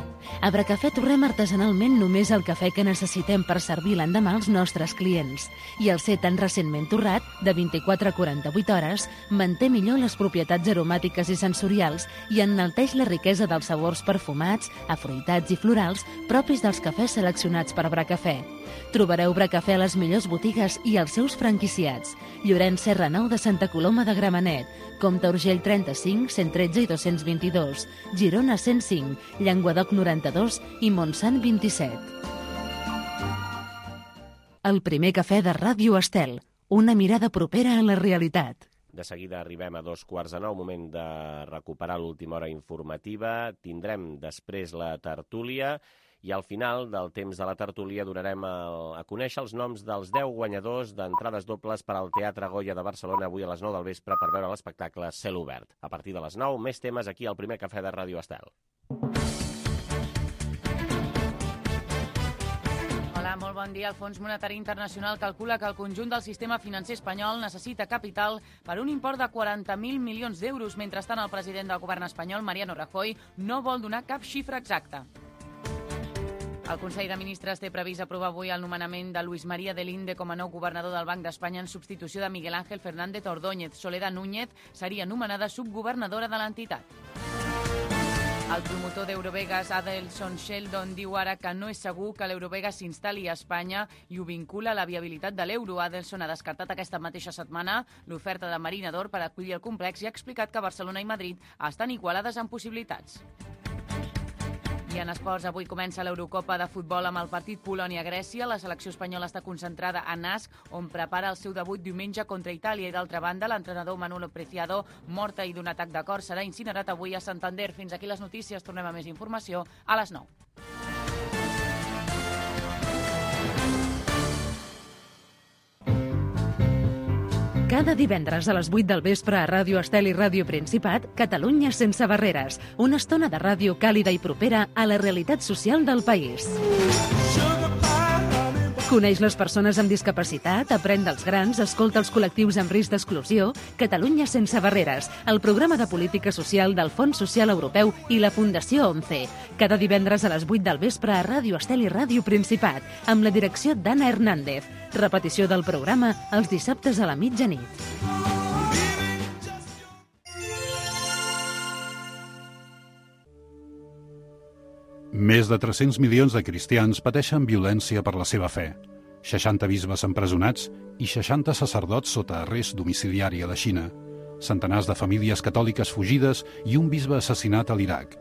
Speaker 1: A Bracafè torrem artesanalment només el cafè que necessitem per servir l'endemà als nostres clients. I el ser tan recentment torrat, de 24 a 48 hores, manté millor les propietats aromàtiques i sensorials i enalteix la riquesa dels sabors perfumats, afruitats i florals propis dels cafès seleccionats per Bracafè. Trobareu Bracafè a les millors botigues i als seus franquiciats. Llorenç Serra 9 de Santa Coloma de Gramenet, Comte Urgell 35, 113 i 222, Girona 105, Llenguadoc 92 i Montsant 27. El primer cafè de Ràdio Estel, una mirada propera a la realitat.
Speaker 2: De seguida arribem a 2:15, moment de recuperar l'última hora informativa. Tindrem després la tertúlia i al final del temps de la tertúlia donarem a conèixer els noms dels 10 guanyadors d'entrades dobles per al Teatre Goya de Barcelona avui a les 9 del vespre per veure l'espectacle Cel Obert. A partir de les 9, més temes aquí al primer cafè de Ràdio Estel.
Speaker 3: Hola, molt bon dia. El Fons Monetari Internacional calcula que el conjunt del sistema financer espanyol necessita capital per un import de 40.000 milions d'euros. Mentrestant, el president del govern espanyol, Mariano Rajoy, no vol donar cap xifra exacta. El Consell de Ministres té previst aprovar avui el nomenament de Luis María de Linde com a nou governador del Banc d'Espanya en substitució de Miguel Ángel Fernández Ordóñez. Soledad Núñez seria nomenada subgovernadora de l'entitat. El promotor d'Eurovegas, Adelson Sheldon, diu ara que no és segur que l'Eurovegas s'instal·li a Espanya i ho vincula a la viabilitat de l'euro. Adelson ha descartat aquesta mateixa setmana l'oferta de Marinador per acollir el complex i ha explicat que Barcelona i Madrid estan igualades en possibilitats. I en esports, avui comença l'Eurocopa de futbol amb el partit Polònia-Grècia. La selecció espanyola està concentrada a Nasc, on prepara el seu debut diumenge contra Itàlia. I d'altra banda, l'entrenador Manolo Preciado, mort ahir d'un atac de cor, serà incinerat avui a Santander. Fins aquí les notícies. Tornem a més informació a les 9.
Speaker 1: Cada divendres a les 8 del vespre a Ràdio Estel i Ràdio Principat, Catalunya sense barreres. Una estona de ràdio càlida i propera a la realitat social del país. Coneix les persones amb discapacitat, aprèn dels grans, escolta els col·lectius amb risc d'exclusió. Catalunya sense barreres, el programa de política social del Fons Social Europeu i la Fundació ONCE. Cada divendres a les 8 del vespre a Ràdio Estel i Ràdio Principat, amb la direcció d'Anna Hernández. Repetició del programa els dissabtes a la mitjanit.
Speaker 9: Més de 300 milions de cristians pateixen violència per la seva fe. 60 bisbes empresonats i 60 sacerdots sota arrest domiciliari a la Xina. Centenars de famílies catòliques fugides i un bisbe assassinat a l'Iraq.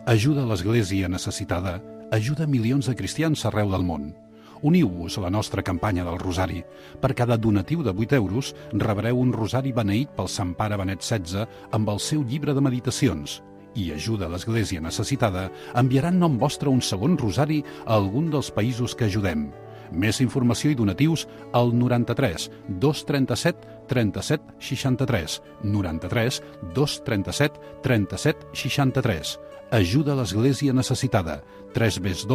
Speaker 9: Ajuda a l'Església necessitada, ajuda milions de cristians arreu del món. Uniu-vos a la nostra campanya del Rosari. Per cada donatiu de 8 euros rebreu un rosari beneït pel Sant Pare Benet XVI amb el seu llibre de meditacions. I ajuda a l'Església necessitada enviarà en nom vostre un segon rosari a algun dels països que ajudem. Més informació i donatius al 93 237 37 63. 93 237 37 63. Ajuda a l'Església necessitada. www.ain-es.org.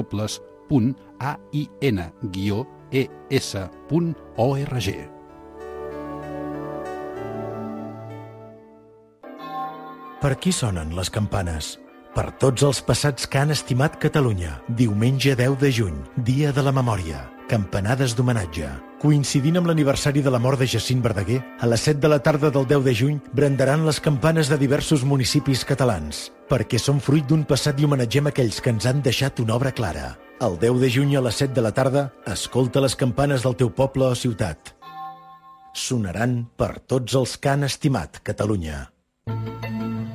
Speaker 13: Per qui sonen les campanes? Per tots els passats que han estimat Catalunya. Diumenge 10 de juny, dia de la memòria. Campanades d'homenatge. Coincidint amb l'aniversari de la mort de Jacint Verdaguer, a les 7 de la tarda del 10 de juny brandaran les campanes de diversos municipis catalans, perquè són fruit d'un passat i homenatgem aquells que ens han deixat una obra clara. El 10 de juny a les 7 de la tarda, escolta les campanes del teu poble o ciutat. Sonaran per tots els que han estimat Catalunya.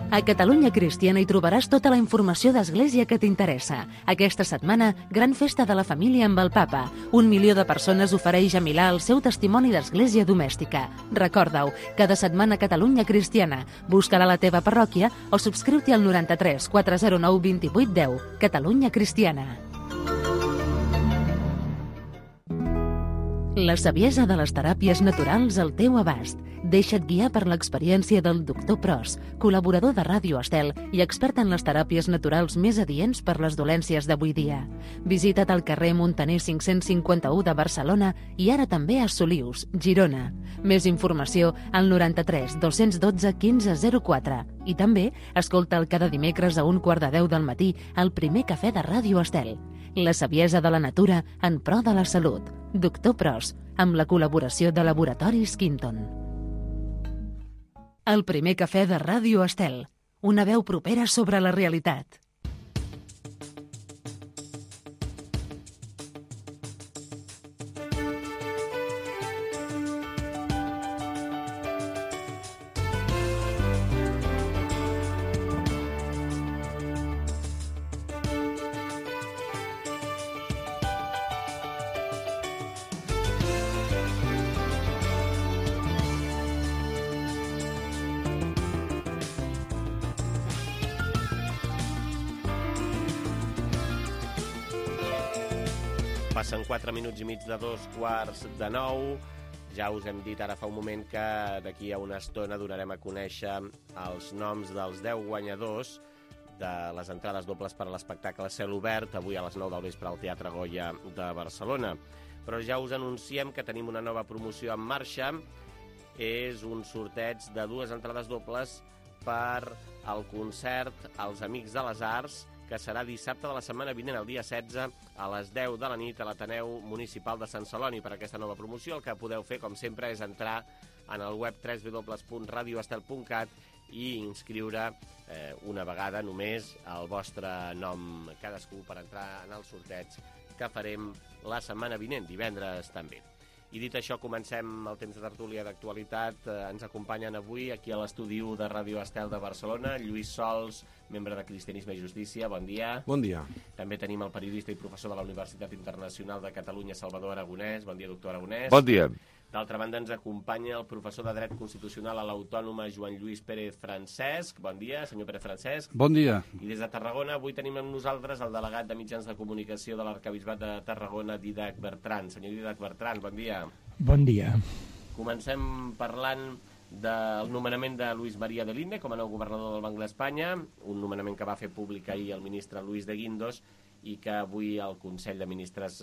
Speaker 1: A Catalunya Cristiana hi trobaràs tota la informació d'Església que t'interessa. Aquesta setmana, gran festa de la família amb el Papa. 1 milió de persones ofereix a Milà el seu testimoni d'Església domèstica. Recorda-ho, cada setmana Catalunya Cristiana. Busca-la a la teva parròquia o subscriu-t'hi al 93 409 28 10. Catalunya Cristiana. La saviesa de les teràpies naturals al teu abast. Deixa't guiar per l'experiència del Dr. Pros, col·laborador de Ràdio Estel i expert en les teràpies naturals més adients per les dolències d'avui dia. Visita't al carrer Montaner 551 de Barcelona i ara també a Solius, Girona. Més informació al 93 212 1504 i també escolta'l cada dimecres a 9:15 del matí al primer cafè de Ràdio Estel. La saviesa de la natura en pro de la salut. Dr. Pros, amb la col·laboració de Laboratoris Quinton. El primer cafè de Ràdio Estel. Una veu propera sobre la realitat.
Speaker 2: Passen 4 minuts i mig de 8:45. Ja us hem dit ara fa un moment que d'aquí a una estona donarem a conèixer els noms dels 10 guanyadors de les entrades dobles per a l'espectacle a cel obert, avui a les 9 del vespre al Teatre Goya de Barcelona. Però ja us anunciem que tenim una nova promoció en marxa. És un sorteig de 2 entrades dobles per al concert Els Amics de les Arts, que serà dissabte de la setmana vinent, el dia 16, a les 10 de la nit a l'Ateneu Municipal de Sant Celoni. Per aquesta nova promoció el que podeu fer, com sempre, és entrar en el web www.radioestel.cat i inscriure una vegada només el vostre nom cadascú per entrar en el sorteig que farem la setmana vinent, divendres també. I dit això, comencem el temps de tertúlia d'actualitat. Ens acompanyen avui aquí a l'estudi de Ràdio Estel de Barcelona Lluís Sols, membre de Cristianisme i Justícia. Bon dia.
Speaker 14: Bon dia.
Speaker 2: També tenim el periodista i professor de la Universitat Internacional de Catalunya, Salvador Aragonès. Bon dia, doctor Aragonès.
Speaker 14: Bon dia.
Speaker 2: D'altra banda, ens acompanya el professor de Dret Constitucional a l'Autònoma, Joan Lluís Pérez Francesc. Bon dia, senyor Pérez Francesc.
Speaker 9: Bon dia.
Speaker 2: I des de Tarragona avui tenim amb nosaltres el delegat de mitjans de comunicació de l'Arquebisbat de Tarragona, Didac Bertran. Senyor Didac Bertran, bon dia.
Speaker 15: Bon dia.
Speaker 2: Comencem parlant del nomenament de Luis María de Linde com a nou governador del Banc d'Espanya, un nomenament que va fer públic ahir el ministre Luis de Guindos i que avui el Consell de Ministres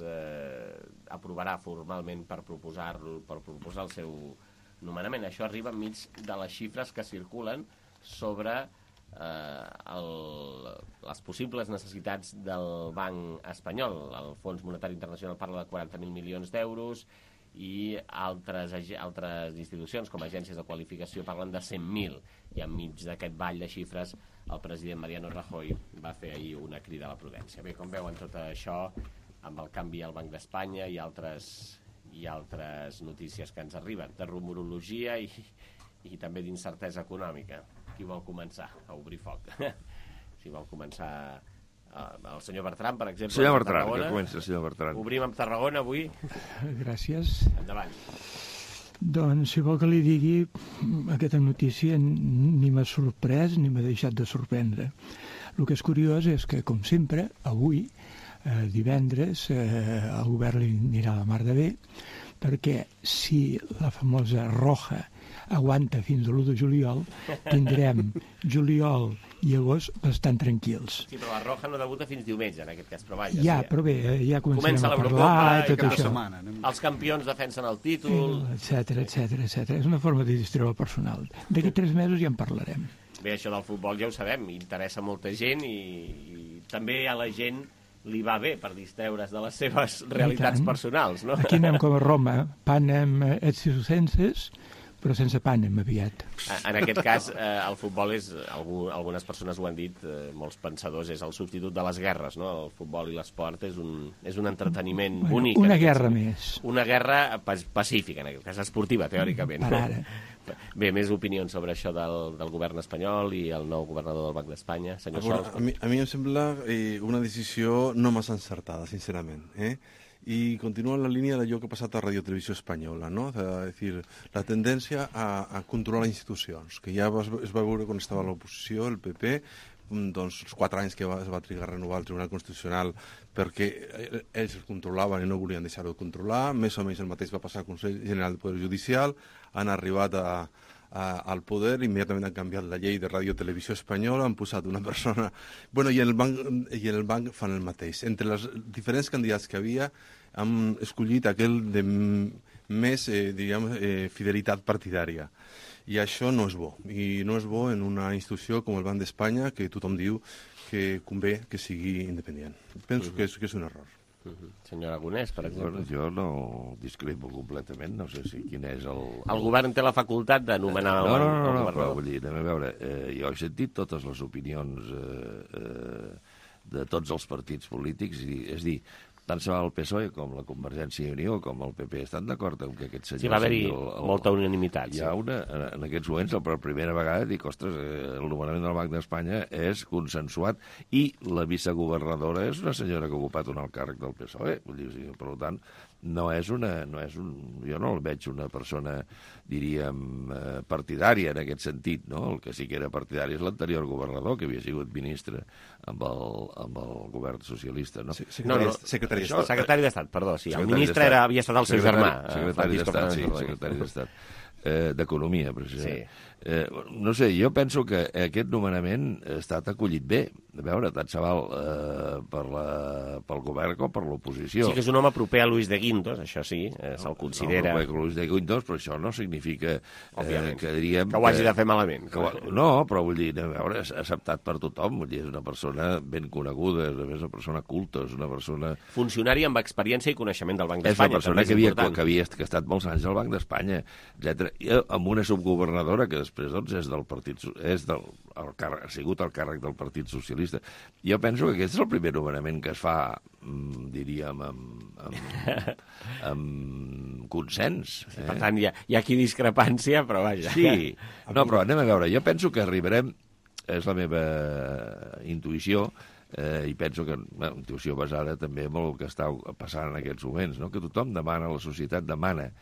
Speaker 2: aprovarà formalment per proposar el seu nomenament. Això arriba enmig de les xifres que circulen sobre les possibles necessitats del Banc espanyol. El Fons Monetari Internacional parla de 40.000 milions d'euros i altres institucions com agències de qualificació parlen de 100.000, i enmig d'aquest ball de xifres el president Mariano Rajoy va fer ahir una crida a la prudència. Bé, com veuen tot això amb el canvi al Banc d'Espanya i altres notícies que ens arriben de rumorologia i també d'incertesa econòmica. Qui vol començar a obrir foc? Si vol començar el senyor Bertran, per exemple.
Speaker 14: Senyor Bertran, que comença el senyor Bertran.
Speaker 2: Obrim amb Tarragona avui.
Speaker 15: Gràcies.
Speaker 2: Endavant.
Speaker 15: Doncs, si vol que li digui, aquesta notícia ni m'ha sorprès ni m'ha deixat de sorprendre. El que és curiós és que, com sempre, avui, divendres, el govern li anirà la mar de bé, perquè si la famosa Roja aguanta fins a l'1 de juliol, tindrem juliol i agost bastant tranquils.
Speaker 2: Sí, però la Roja no debuta fins diumenge, en aquest cas, però vaja.
Speaker 15: Ja, però bé, ja començarem a parlar i tot això.
Speaker 2: Els campions defensen el títol...
Speaker 15: Etcètera. És una forma de distreure el personal. D'aquí 3 mesos ja en parlarem.
Speaker 2: Bé, això del futbol ja ho sabem, interessa molta gent i també a la gent li va bé per distreure's de les seves realitats personals, no?
Speaker 15: Aquí anem com a Roma, panem et circenses, però sense panem aviat.
Speaker 2: En aquest cas, el futbol és, algunes persones ho han dit, molts pensadors, és el substitut de les guerres, no? El futbol i l'esport és un entreteniment bonic.
Speaker 15: Una guerra més.
Speaker 2: Una guerra pacífica, en aquest cas esportiva, teòricament.
Speaker 15: Per ara.
Speaker 2: Bé, més opinions sobre això del govern espanyol i el nou governador del Banc d'Espanya. Senyor Sols.
Speaker 14: A mi em sembla una decisió no massa encertada, sincerament. Y continúa la línea d'allò que ha passat a Radio Televisió Espanyola, no? És dir, la tendència a controlar institucions, que ja es va veure quan estava a l'oposició, el PP, doncs, els 4 anys que es va trigar a renovar el Tribunal Constitucional perquè ells el controlaven i no volien deixar-ho de controlar. Més o menys el mateix va passar al Consell General del Poder Judicial. Han arribat al poder, immediatament han canviat la llei de ràdio-televisió espanyola, han posat una persona... Bueno, i el banc fan el mateix. Entre els diferents candidats que havia, han escollit aquell de més, fidelitat partidària. I això no és bo. I no és bo en una institució com el Banc d'Espanya, que tothom diu que convé que sigui independent. Penso que és un error.
Speaker 2: Senyor Aragonès, per exemple.
Speaker 16: Bueno, jo no discrepo completament, no sé si quin és el...
Speaker 2: El govern té la facultat de nomenar el governador.
Speaker 16: Però vull dir, anem a veure, jo he sentit totes les opinions de tots els partits polítics, és dir, tant se va el PSOE com la Convergència i Unió com el PP estan d'acord amb que aquest senyor...
Speaker 2: Sí, va haver-hi molta unanimitat.
Speaker 16: Hi ha en aquests moments, per primera vegada, dic, ostres, el nomenament del Banc d'Espanya és consensuat i la vicegovernadora és una senyora que ha ocupat un alt càrrec del PSOE. Vull dir, per tant, jo no el veig una persona, diríem, partidària en aquest sentit, no? El que sí que era partidari és l'anterior governador, que havia sigut ministre amb el govern socialista, no?
Speaker 2: Secretari d'Estat, perdó, sí. El ministre havia estat el seu germà.
Speaker 16: Secretari d'Estat. D'Economia, precisament. No sé, jo penso que aquest nomenament ha estat acollit bé. A veure, tant se val pel govern com per l'oposició.
Speaker 2: Sí que és un home proper a Luis de Guindos, això sí, se'l considera...
Speaker 16: No, proper a Luis de Guindos, però això no significa que diríem...
Speaker 2: Que ho hagi de fer malament.
Speaker 16: No, però vull dir, a veure, és acceptat per tothom, vull dir, és una persona ben coneguda, és una persona culta, és una persona...
Speaker 2: Funcionari amb experiència i coneixement del Banc d'Espanya.
Speaker 16: És una persona que ha estat molts anys al Banc d'Espanya, etc. Amb una subgovernadora que després doncs, ha sigut al càrrec del Partit Socialista. Jo penso que aquest és el primer nomenament que es fa, diríem, amb consens.
Speaker 2: Per tant, hi ha aquí discrepància, però vaja.
Speaker 16: Sí, no, però anem a veure. Jo penso que arribarem, és la meva intuïció, i penso que una intuïció basada també en el que està passant en aquests moments, no? Que tothom demana, la societat demana.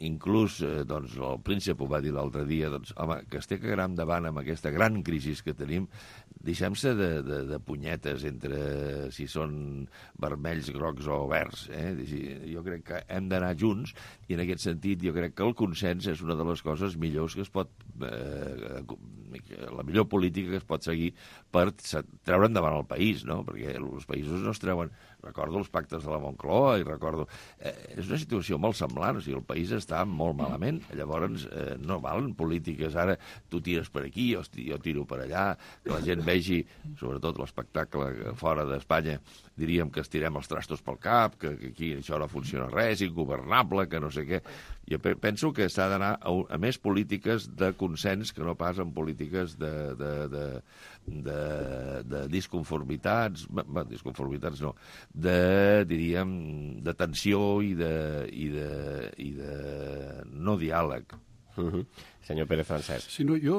Speaker 16: Inclús doncs, el príncep ho va dir l'altre dia, doncs, home, que es té que anar endavant amb aquesta gran crisi que tenim, deixem-se de punyetes entre si són vermells, grocs o verds. Jo crec que hem d'anar junts i en aquest sentit jo crec que el consens és una de les coses millors que es pot la millor política que es pot seguir per treure endavant el país, no? Perquè els països no es treuen... Recordo els pactes de la Moncloa i recordo... és una situació molt semblant, o sigui, el país està molt malament, llavors no valen polítiques, ara tu tires per aquí, jo tiro per allà, que la gent vegi, sobretot l'espectacle fora d'Espanya, diríem que estirem els trastos pel cap, que aquí això no funciona res, ingovernable, que no sé què. Jo penso que s'ha d'anar a més polítiques de consens que no pas en polítiques de disconformitats, disconformitats no, diríem, de tensió i de no diàleg.
Speaker 2: Senyor Pérez Francesc.
Speaker 9: Sí, no, jo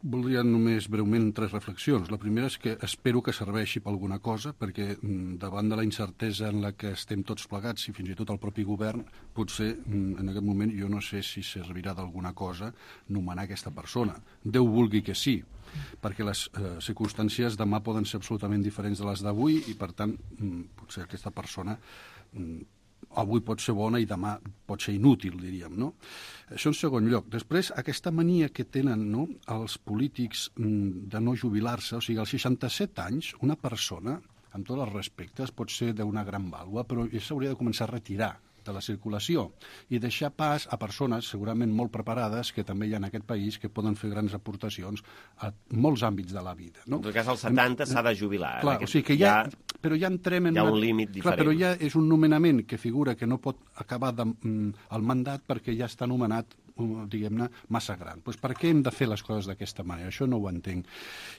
Speaker 9: voldria només breument 3 reflexions. La primera és que espero que serveixi per alguna cosa, perquè davant de la incertesa en la que estem tots plegats, i fins i tot el propi govern, potser en aquest moment jo no sé si servirà d'alguna cosa nomenar aquesta persona. Déu vulgui que sí, perquè les circumstàncies demà poden ser absolutament diferents de les d'avui i, per tant, potser aquesta persona avui pot ser bona i demà pot ser inútil, diríem, no? Això en segon lloc. Després, aquesta mania que tenen, no, els polítics de no jubilar-se, o sigui, als 67 anys, una persona, amb tots els respectes, pot ser d'una gran vàlua, però s'hauria de començar a retirar de la circulació i deixar pas a persones segurament molt preparades que també hi ha en aquest país que poden fer grans aportacions a molts àmbits de la vida. No?
Speaker 2: En tot cas, als 70 s'ha de jubilar.
Speaker 9: Clar, o sigui que però ja entrem en...
Speaker 2: Hi ha un límit diferent.
Speaker 9: Clar, però ja és un nomenament que figura que no pot acabar el mandat perquè ja està nomenat diguem-ne, massa gran. Doncs per què hem de fer les coses d'aquesta manera? Això no ho entenc.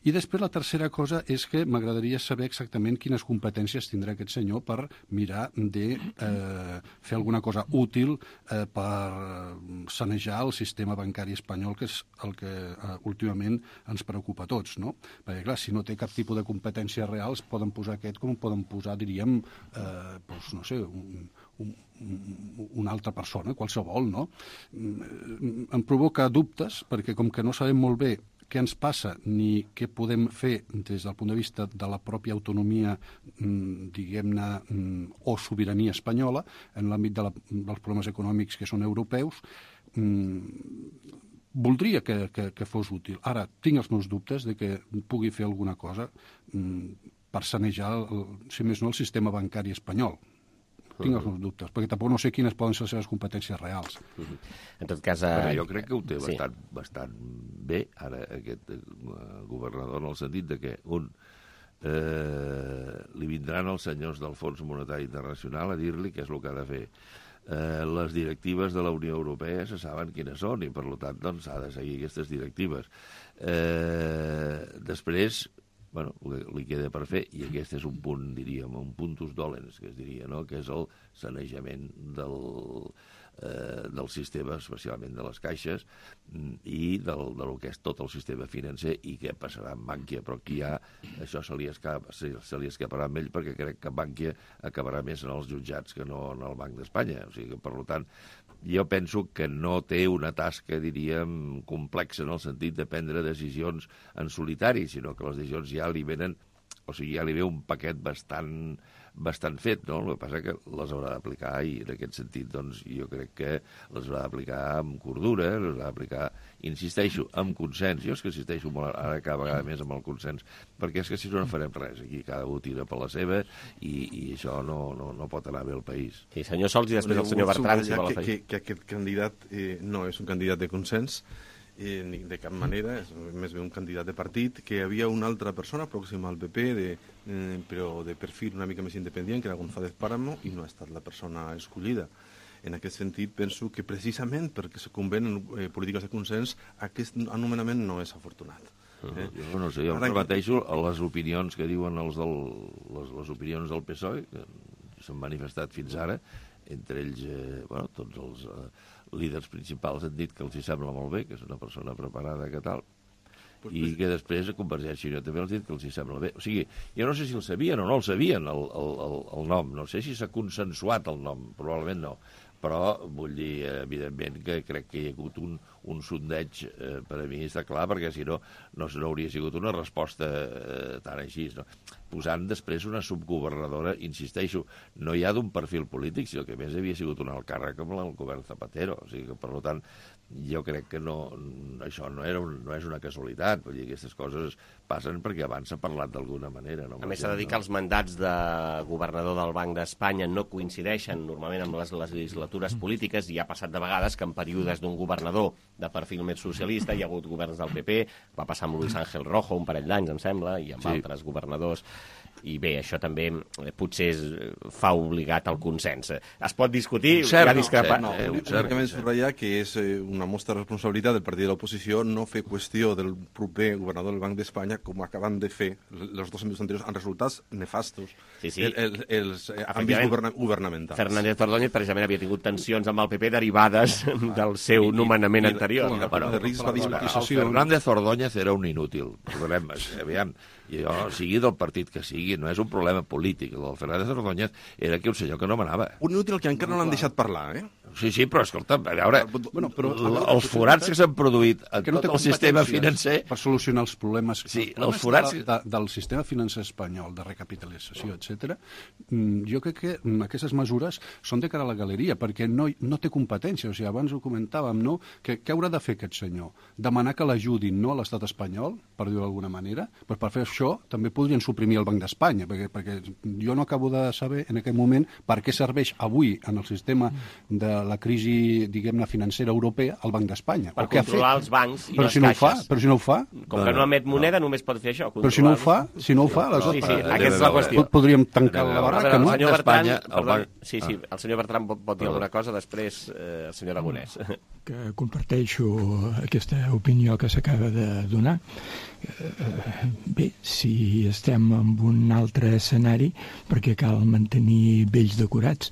Speaker 9: I després la tercera cosa és que m'agradaria saber exactament quines competències tindrà aquest senyor per mirar de fer alguna cosa útil per sanejar el sistema bancari espanyol, que és el que últimament ens preocupa a tots, no? Perquè, clar, si no té cap tipus de competències reals, poden posar aquest com poden posar, diríem, doncs, no sé, una altra persona, qualsevol, no? Em provoca dubtes, perquè com que no sabem molt bé què ens passa ni què podem fer des del punt de vista de la pròpia autonomia, diguem-ne, o sobirania espanyola en l'àmbit dels problemes econòmics que són europeus, voldria que fos útil. Ara, tinc els meus dubtes de que pugui fer alguna cosa per sanejar, si més no, el sistema bancari espanyol. Tinc els meus dubtes, perquè tampoc no sé quines poden ser les seves competències reals.
Speaker 2: En tot cas...
Speaker 16: Però jo crec que ho té bastant bé, ara, aquest governador, en el sentit de que, li vindran els senyors del Fons Monetari Internacional a dir-li què és el que ha de fer. Les directives de la Unió Europea se saben quines són i, per tant, doncs, ha de seguir aquestes directives. Després... bueno, li queda per fer, i aquest és un punt, diríem, un puntus dolens, que es diria, no?, que és el sanejament del sistema, especialment de les caixes, i del que és tot el sistema financer, i què passarà amb Bankia, però aquí ja això se li escaparà amb ell, perquè crec que Bankia acabarà més en els jutjats que no en el Banc d'Espanya. O sigui que, per tant, jo penso que no té una tasca, diríem, complexa en el sentit de prendre decisions en solitari, sinó que les decisions ja li venen, o sigui, ja li ve un paquet bastant fet, no? El que passa que les haurà d'aplicar, i en aquest sentit, doncs, jo crec que les haurà d'aplicar amb cordura, les haurà d'aplicar, insisteixo, amb consens. Jo és que insisteixo molt, ara cada vegada més amb el consens, perquè és que si no farem res, aquí cada un tira per la seva, i això no pot anar bé al país.
Speaker 2: Sí, senyor Sols, i després el senyor Bertran.
Speaker 14: Que aquest candidat no és un candidat de consens, ni de cap manera, és més bé un candidat de partit, que hi havia una altra persona pròxima al PP, però de perfil una mica més independent, que era González Páramo, i no ha estat la persona escollida. En aquest sentit, penso que precisament perquè se convenen polítiques de consens, aquest anomenament no és afortunat.
Speaker 16: Jo no sé, jo em repeteixo les opinions que diuen les opinions del PSOE, que s'han manifestat fins ara, entre ells, tots els líders principals han dit que els hi sembla molt bé, que és una persona preparada, que tal, i que després a Convergència i Unió també els ha dit que els hi sembla bé. O sigui, jo no sé si el sabien o no el sabien, el nom, no sé si s'ha consensuat el nom, probablement no, però vull dir, evidentment, que crec que hi ha hagut un sondeig, per a mi està clar, perquè si no hauria sigut una resposta tan així, no? Posant després una subgovernadora, insisteixo, no ja d'un perfil polític, sinó que a més havia sigut un alt càrrec com el govern Zapatero. O sigui que, per tant, jo crec que això no és una casualitat. Vull dir, aquestes coses passen perquè abans s'ha parlat d'alguna manera. No?
Speaker 2: A més, s'ha de dir que els mandats de governador del Banc d'Espanya no coincideixen normalment amb les legislatures polítiques, i ha passat de vegades que en períodes d'un governador de perfil més socialista hi ha hagut governs del PP, va passar amb Luis Ángel Rojo un parell d'anys, em sembla, i amb altres governadors. I bé, això també potser fa obligat al consens. Es pot discutir, hi ha discrepar...
Speaker 14: Únicament subratllar que és una mostra de responsabilitat del partit de l'oposició no fer qüestió del proper governador del Banc d'Espanya, com acaben de fer els dos àmbits anteriors, amb resultats nefastos. Els àmbits governamentals.
Speaker 2: Fernández Ordóñez, precisament, havia tingut tensions amb el PP derivades del seu nomenament anterior.
Speaker 16: Fernández Ordóñez era un inútil. Aviam, sigui del partit que sigui, no és un problema polític. El del Fernández Ordóñez era que un senyor que no manava.
Speaker 14: Un inútil que encara no l'han deixat parlar, eh?
Speaker 16: Sí, però escolta, a veure, els forats que s'han produït en tot el sistema financer...
Speaker 9: Per solucionar els problemes del sistema financer espanyol, de recapitalització, etc. Jo crec que aquestes mesures són de cara a la galeria, perquè no té competència. O sigui, abans ho comentàvem, no? Què haurà de fer aquest senyor? Demanar que l'ajudin, no, a l'estat espanyol, per dir-ho d'alguna manera? Però per fer això també podrien suprimir el Banc d'Espanya, perquè jo no acabo de saber en aquest moment per què serveix avui en el sistema de la crisi, diguem-ne, financera europea, el Banc d'Espanya.
Speaker 2: Per controlar els bancs i les caixes.
Speaker 9: Però si no ho fa...
Speaker 2: Com que no emet moneda, només pot fer això.
Speaker 9: Però si no ho fa,
Speaker 2: aleshores... Aquesta és la qüestió.
Speaker 9: Podríem tancar la barraca, no?
Speaker 2: El senyor Bertran pot dir alguna cosa, després el senyor Aragonès.
Speaker 15: Que comparteixo aquesta opinió que s'acaba de donar. Bé, si estem en un altre escenari, perquè cal mantenir vells decorats,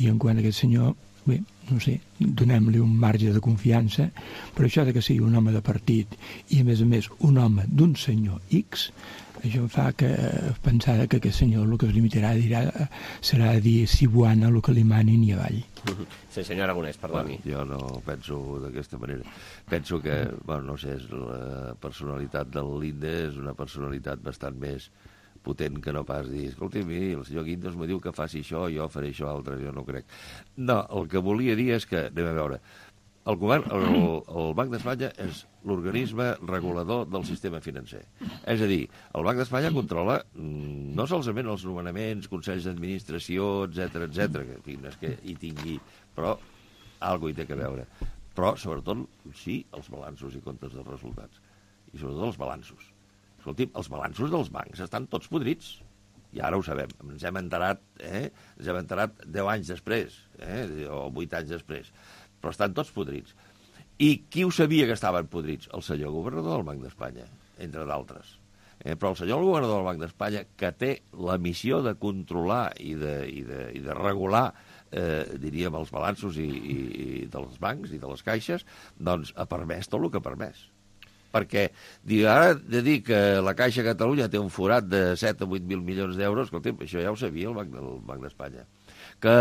Speaker 15: i en quant a aquest senyor, bé, no sé, donem-li un marge de confiança, però això de que sigui un home de partit i, a més, un home d'un senyor X, això em fa pensar que aquest senyor el que es limitarà serà a dir si buana el que li manin i avall.
Speaker 2: Sí, senyor Aragonès, perdoni.
Speaker 16: Jo no penso d'aquesta manera. Penso que, no sé, la personalitat del Linde és una personalitat bastant més potent que no pas dir, escolti, miri, el senyor Guindos me diu que faci això, jo faré això altre, jo no crec. No, el que volia dir és que, anem a veure, el govern, el Banc d'Espanya és l'organisme regulador del sistema financer. És a dir, el Banc d'Espanya controla no solament els nomenaments, consells d'administració, etc, que, en fi, no és que hi tingui, però alguna hi té que veure. Però, sobretot, sí, els balanços i comptes dels resultats. I sobretot els balanços. Escolti, els balanços dels bancs estan tots podrits. I ara ho sabem. Ens hem enterat 10 anys després, o 8 anys després. Però estan tots podrits. I qui ho sabia que estaven podrits? El senyor governador del Banc d'Espanya, entre d'altres. Però el senyor governador del Banc d'Espanya, que té la missió de controlar i de regular, diríem, els balanços i dels bancs i de les caixes, doncs ha permès tot el que ha permès. Perquè ara de dir que la Caixa de Catalunya té un forat de 7 o 8.000 milions d'euros, escolta'm, això ja ho sabia el Banc d'Espanya. Que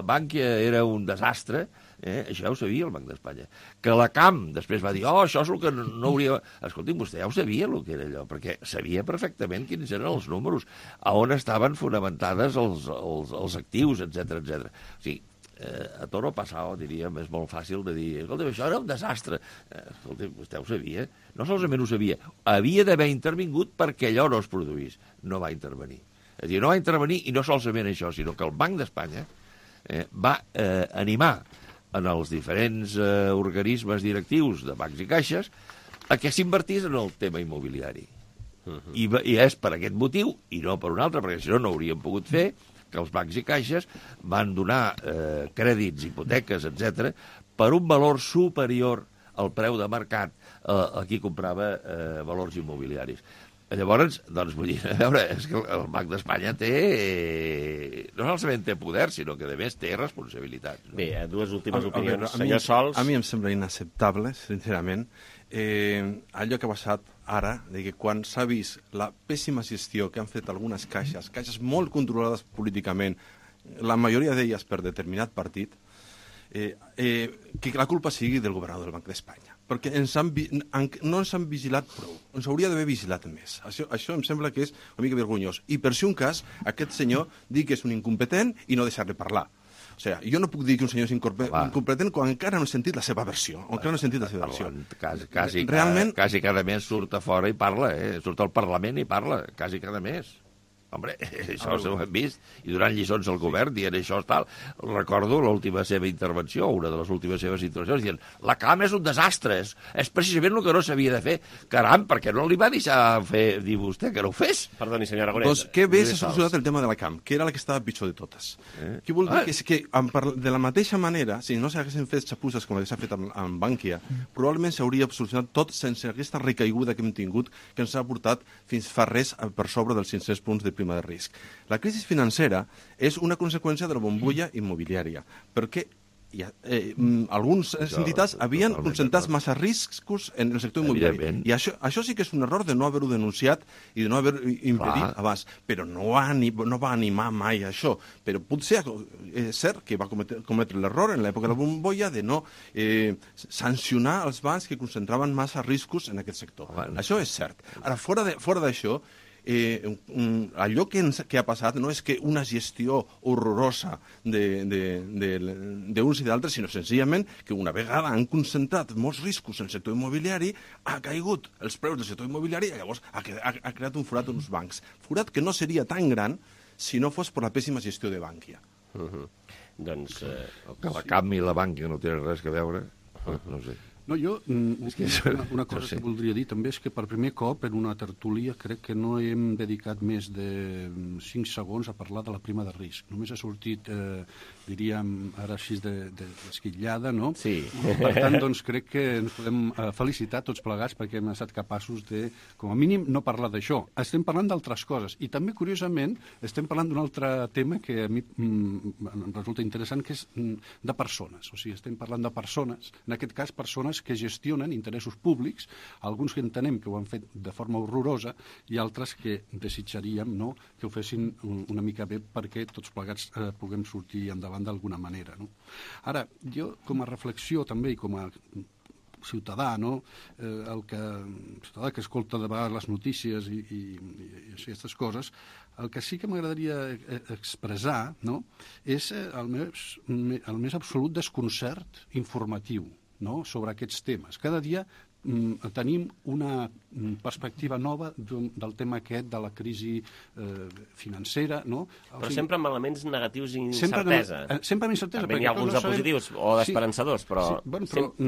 Speaker 16: Bankia era un desastre, això ja ho sabia el Banc d'Espanya. Que la CAM després va dir, això és el que no hauria... Escolti'm, vostè ja ho sabia el que era allò, perquè sabia perfectament quins eren els números, a on estaven fonamentades els actius, etc. O sigui, a toro passado, diríem, és molt fàcil de dir, escolta, això era un desastre. Escolta, vostè ho sabia. No solament ho sabia, havia d'haver intervingut perquè allò no es produís. No va intervenir. És a dir, no va intervenir, i no solament això, sinó que el Banc d'Espanya va animar en els diferents organismes directius de bancs i caixes a que s'invertís en el tema immobiliari. I és per aquest motiu, i no per un altre, perquè si no, no ho hauríem pogut fer, que els bancs i caixes van donar crèdits, hipoteques, etc., per un valor superior al preu de mercat a qui comprava valors immobiliaris. Llavors, doncs, vull dir, a veure, és que el Banc d'Espanya no solament té poder, sinó que, a més, té responsabilitat.
Speaker 2: Bé, dues últimes opinions. Senyor Sols...
Speaker 14: A mi em sembla inacceptable, sincerament, allò que ha passat ara, de que quan s'ha vist la pèssima gestió que han fet algunes caixes molt controlades políticament, la majoria d'elles per determinat partit, que la culpa sigui del governador del Banc d'Espanya. Perquè no ens han vigilat prou. Ens hauria d'haver vigilat més. Això em sembla que és una mica vergonyós. I per si un cas, aquest senyor digui que és un incompetent i no deixar-li parlar. O sigui, jo no puc dir que un senyor és incompetent quan encara no he sentit la seva versió.
Speaker 16: Quasi cada mes surt a fora i parla, surt al Parlament i parla, quasi cada mes. Hombre, això ho hem vist, i donant lliçons al govern, dient això tal. Recordo l'última seva intervenció, una de les últimes seves intervencions, dient la CAM és un desastre, és precisament el que no s'havia de fer. Caram, per què no li va deixar dir vostè que no ho fes?
Speaker 2: Perdoni, senyor Aragonès.
Speaker 14: Doncs que bé s'ha solucionat el tema de la CAM, que era la que estava pitjor de totes. Què vol dir? Que de la mateixa manera, si no s'haguessin fet xapusses com la que s'ha fet amb Bankia, probablement s'hauria solucionat tot sense aquesta recaiguda que hem tingut, que ens ha portat fins fa res per sobre dels 500 punts de prima de risc. La crisi financera és una conseqüència de la bombolla immobiliària, perquè algunes entitats havien concentrat massa riscos en el sector immobiliari. I això sí que és un error de no haver-ho denunciat i de no haver impedit abans. Però no va animar mai a això. Però potser és cert que va cometre l'error en l'època de la bombolla de no sancionar els bancs que concentraven massa riscos en aquest sector. Això és cert. Ara, fora d'això, allò que ha passat no és que una gestió horrorosa d'uns i d'altres, sinó senzillament que una vegada han concentrat molts riscos en el sector immobiliari, ha caigut els preus del sector immobiliari i llavors ha creat un forat en els bancs. Forat que no seria tan gran si no fos per la pèssima gestió de Bankia.
Speaker 2: Doncs...
Speaker 16: Que la CAM i la Bankia no tenen res a veure, no sé.
Speaker 17: No, jo, una cosa que voldria dir també és que per primer cop en una tertúlia crec que no hem dedicat més de 5 segons a parlar de la prima de risc. Només ha sortit diríem ara així d'esquitllada, no?
Speaker 2: Sí.
Speaker 17: Per tant, doncs, crec que ens podem felicitar tots plegats perquè hem estat capaços de, com a mínim, no parlar d'això. Estem parlant d'altres coses. I també, curiosament, estem parlant d'un altre tema que a mi em resulta interessant, que és de persones. O sigui, estem parlant de persones, en aquest cas, persones que gestionen interessos públics, alguns que entenem que ho han fet de forma horrorosa i altres que desitjaríem, no?, que ho fessin una mica bé perquè tots plegats puguem sortir endavant d'alguna manera, no? Ara, jo com a reflexió també i com a ciutadà, no? Ciutadà que escolta de vegades les notícies i aquestes coses, el que sí que m'agradaria expressar, no?, és el més absolut desconcert informatiu, no?, sobre aquests temes. Cada dia tenim una perspectiva nova del tema aquest de la crisi financera, no?
Speaker 2: Però sempre amb elements negatius i incertesa.
Speaker 17: Sempre amb incertesa.
Speaker 2: També n'hi ha alguns de positius o d'esperançadors, però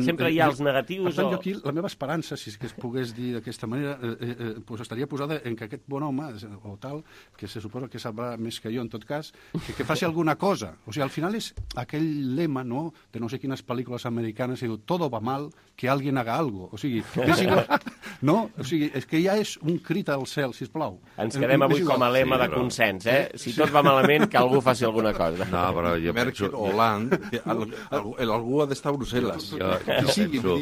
Speaker 2: sempre hi ha els negatius.
Speaker 17: Per tant, jo aquí, la meva esperança, si és que es pogués dir d'aquesta manera, estaria posada en que aquest bon home, o tal, que se suposa que sabrà més que jo, en tot cas, que faci alguna cosa. O sigui, al final és aquell lema, no?, de no sé quines pel·lícules americanes, que diu, todo va mal, que alguien haga algo. O sigui, és igual, no? O sigui, és que ja és un crit al cel, sisplau.
Speaker 2: Ens quedem avui com a lema de consens, eh? Si tot va malament, que algú faci alguna cosa.
Speaker 14: No, però jo Merkel o Hollande, algú ha d'estar a Brussel·les.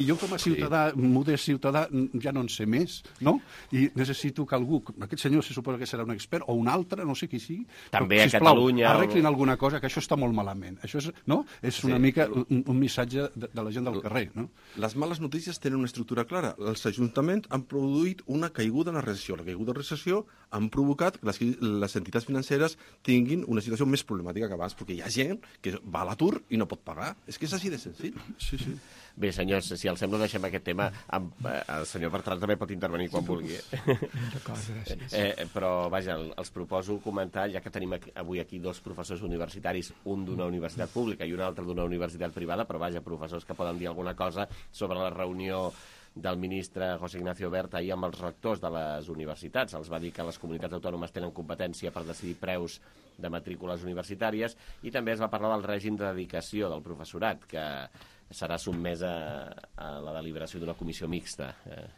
Speaker 17: Jo com a ciutadà, modest ciutadà, ja no en sé més, no? I necessito que algú, aquest senyor se suposa que serà un expert, o un altre, no sé qui sigui,
Speaker 2: també a Catalunya...
Speaker 17: arreglin alguna cosa, que això està molt malament. Això és, no? És una mica un missatge de la gent del carrer, no?
Speaker 14: Les males notícies tenen una estructura clara. Els ajuntaments han produït una caiguda en la recessió. La caiguda en la recessió han provocat que les entitats financeres tinguin una situació més problemàtica que abans, perquè hi ha gent que va a l'atur i no pot pagar. És que és així de senzill.
Speaker 17: Sí, sí.
Speaker 2: Bé, senyors, si els sembla, deixem aquest tema. El senyor Bertran també pot intervenir quan vulgui. Però, vaja, els proposo comentar, ja que tenim avui aquí dos professors universitaris, un d'una universitat pública i un altre d'una universitat privada, però, vaja, professors que poden dir alguna cosa sobre la reunió del ministre José Ignacio Wert ahir amb els rectors de les universitats. Els va dir que les comunitats autònomes tenen competència per decidir preus de matrícules universitàries i també es va parlar del règim de dedicació del professorat, que serà sotmès a la deliberació d'una comissió mixta.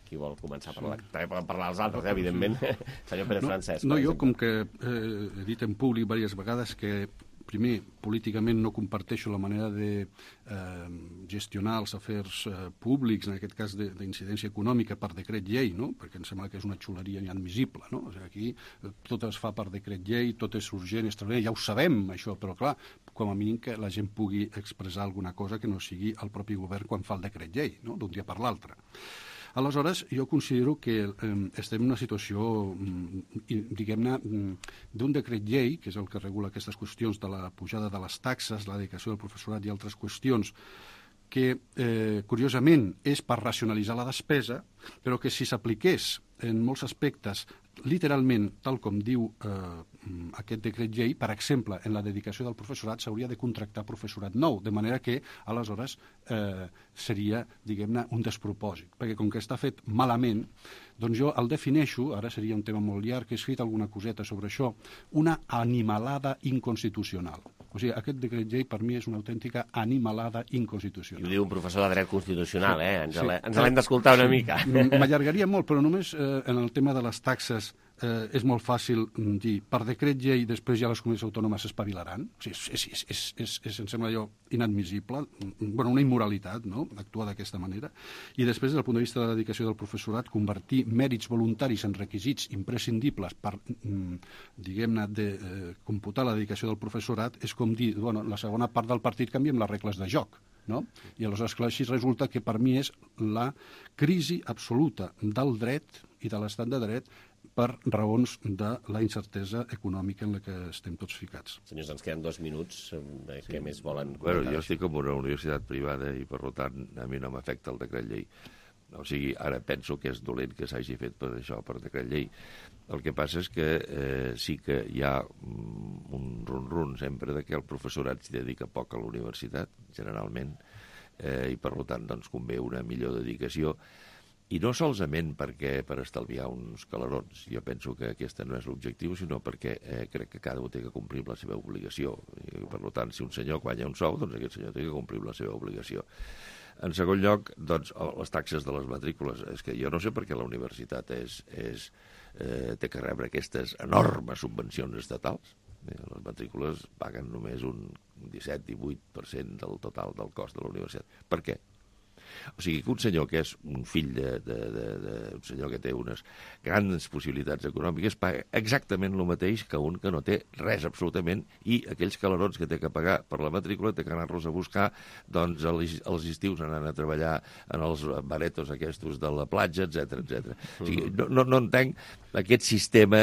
Speaker 2: Qui vol començar a parlar? També poden parlar els altres, evidentment. Senyor Pérez Francesc.
Speaker 17: No, jo, com que he dit en públic diverses vegades que primer, políticament no comparteixo la manera de gestionar els afers públics, en aquest cas d'incidència econòmica per decret llei, no? Perquè em sembla que és una xuleria inadmissible, no? O sigui, aquí tot es fa per decret llei, tot és urgent, extraordinari, ja ho sabem, això, però clar, com a mínim que la gent pugui expressar alguna cosa que no sigui el propi govern quan fa el decret llei, no?, d'un dia per l'altre. Aleshores, jo considero que estem en una situació, diguem-ne, d'un decret llei, que és el que regula aquestes qüestions de la pujada de les taxes, la dedicació del professorat i altres qüestions, que, curiosament, és per racionalitzar la despesa, però que si s'apliqués en molts aspectes literalment, tal com diu aquest decret llei, per exemple, en la dedicació del professorat s'hauria de contractar professorat nou, de manera que, aleshores, seria, diguem-ne, un despropòsit. Perquè com que està fet malament, doncs jo el defineixo, ara seria un tema molt llarg, he escrit alguna coseta sobre això, una animalada inconstitucional. O sigui, aquest decret llei per mi és una autèntica animalada inconstitucional.
Speaker 2: I ho diu un professor de dret constitucional, Ens l'hem d'escoltar una mica.
Speaker 17: M'allargaria molt, però només en el tema de les taxes és molt fàcil dir, per decret llei després ja les comunitats autònomes s'espavilaran. O sigui, em sembla allò inadmissible, una immoralitat, no?, actuar d'aquesta manera. I després, des del punt de vista de la dedicació del professorat, convertir mèrits voluntaris en requisits imprescindibles per, diguem-ne, computar la dedicació del professorat és com dir, la segona part del partit canviem les regles de joc, no? I aleshores, clar, així resulta que per mi és la crisi absoluta del dret i de l'estat de dret per raons de la incertesa econòmica en la que estem tots ficats.
Speaker 2: Senyors, ens queden 2 minuts. Què més volen
Speaker 16: comentar? Bueno, jo estic en una universitat privada i, per tant, a mi no m'afecta el decret llei. O sigui, ara penso que és dolent que s'hagi fet per això, per decret llei. El que passa és que sí que hi ha un rum-rum sempre de que el professorat s'hi dedica poc a la universitat, generalment, i per tant doncs convé una millor dedicació. I no solament per estalviar uns calerons, jo penso que aquest no és l'objectiu, sinó perquè crec que cada un té que complir la seva obligació. I, per tant, si un senyor guanya un sou, doncs aquest senyor té que complir la seva obligació. En segon lloc, doncs, les taxes de les matrícules. És que jo no sé per què la universitat té que rebre aquestes enormes subvencions estatals. Les matrícules paguen només un 17-18% del total del cost de la universitat. Per què? O sigui, que un senyor que és un fill d'un senyor que té unes grans possibilitats econòmiques paga exactament el mateix que un que no té res absolutament, i aquells calerons que té que pagar per la matrícula té que anar-los a buscar doncs als estius anant a treballar en els baretos aquests de la platja, etc. O sigui, no entenc aquest sistema,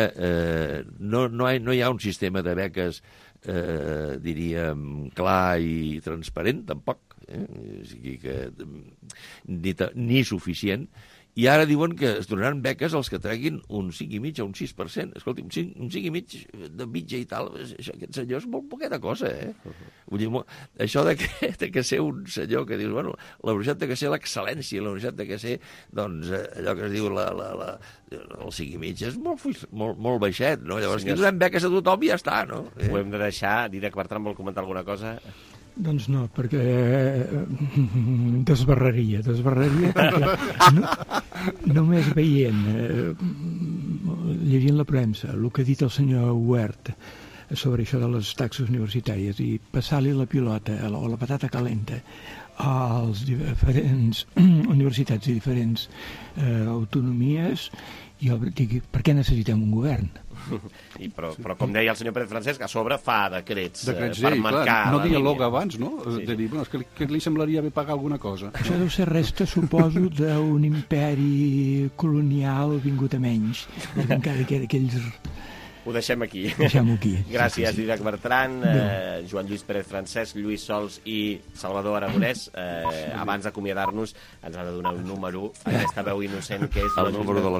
Speaker 16: no hi ha un sistema de beques diríem clar i transparent, tampoc. O sigui que ni suficient, i ara diuen que es donaran beques als que treguin un 5,5 o un 6%. Escolti, un 5,5 de mitja i tal, aquest senyor és molt poqueta cosa, Vull dir, això de que ser un senyor que dius, bueno, la universitat té que ser l'excel·lència, la universitat té que ser, doncs, allò que es diu el 5,5 és molt baixet, no? Llavors, aquí donem beques a tothom i ja està, no?
Speaker 2: Ho hem de deixar. Dídac Bertran vol comentar alguna cosa?
Speaker 15: Doncs no, perquè desbarraria perquè només veient, llegint la premsa, el que ha dit el senyor Huert sobre això de les taxes universitàries i passar-li la pilota o la patata calenta als diferents universitats i diferents autonomies, jo dic, per què necessitem un govern?
Speaker 2: Però com deia el senyor Pérez Francesc, a sobre fa decrets per marcar
Speaker 17: clar, no
Speaker 2: la
Speaker 17: dialoga
Speaker 2: línia.
Speaker 17: Abans, no? Sí. De dir, bueno, és que li semblaria bé pagar alguna cosa.
Speaker 15: Això deu ser resta, suposo, d'un imperi colonial vingut a menys. Encara que aquells...
Speaker 2: Ho deixem aquí.
Speaker 15: Deixem-ho aquí.
Speaker 2: Gràcies, Dídac Bertran, Joan Lluís Pérez Francesc, Lluís Sols i Salvador Aragonès. Abans d'acomiadar-nos, ens ha de donar un número, aquesta veu innocent que és...
Speaker 16: El número de la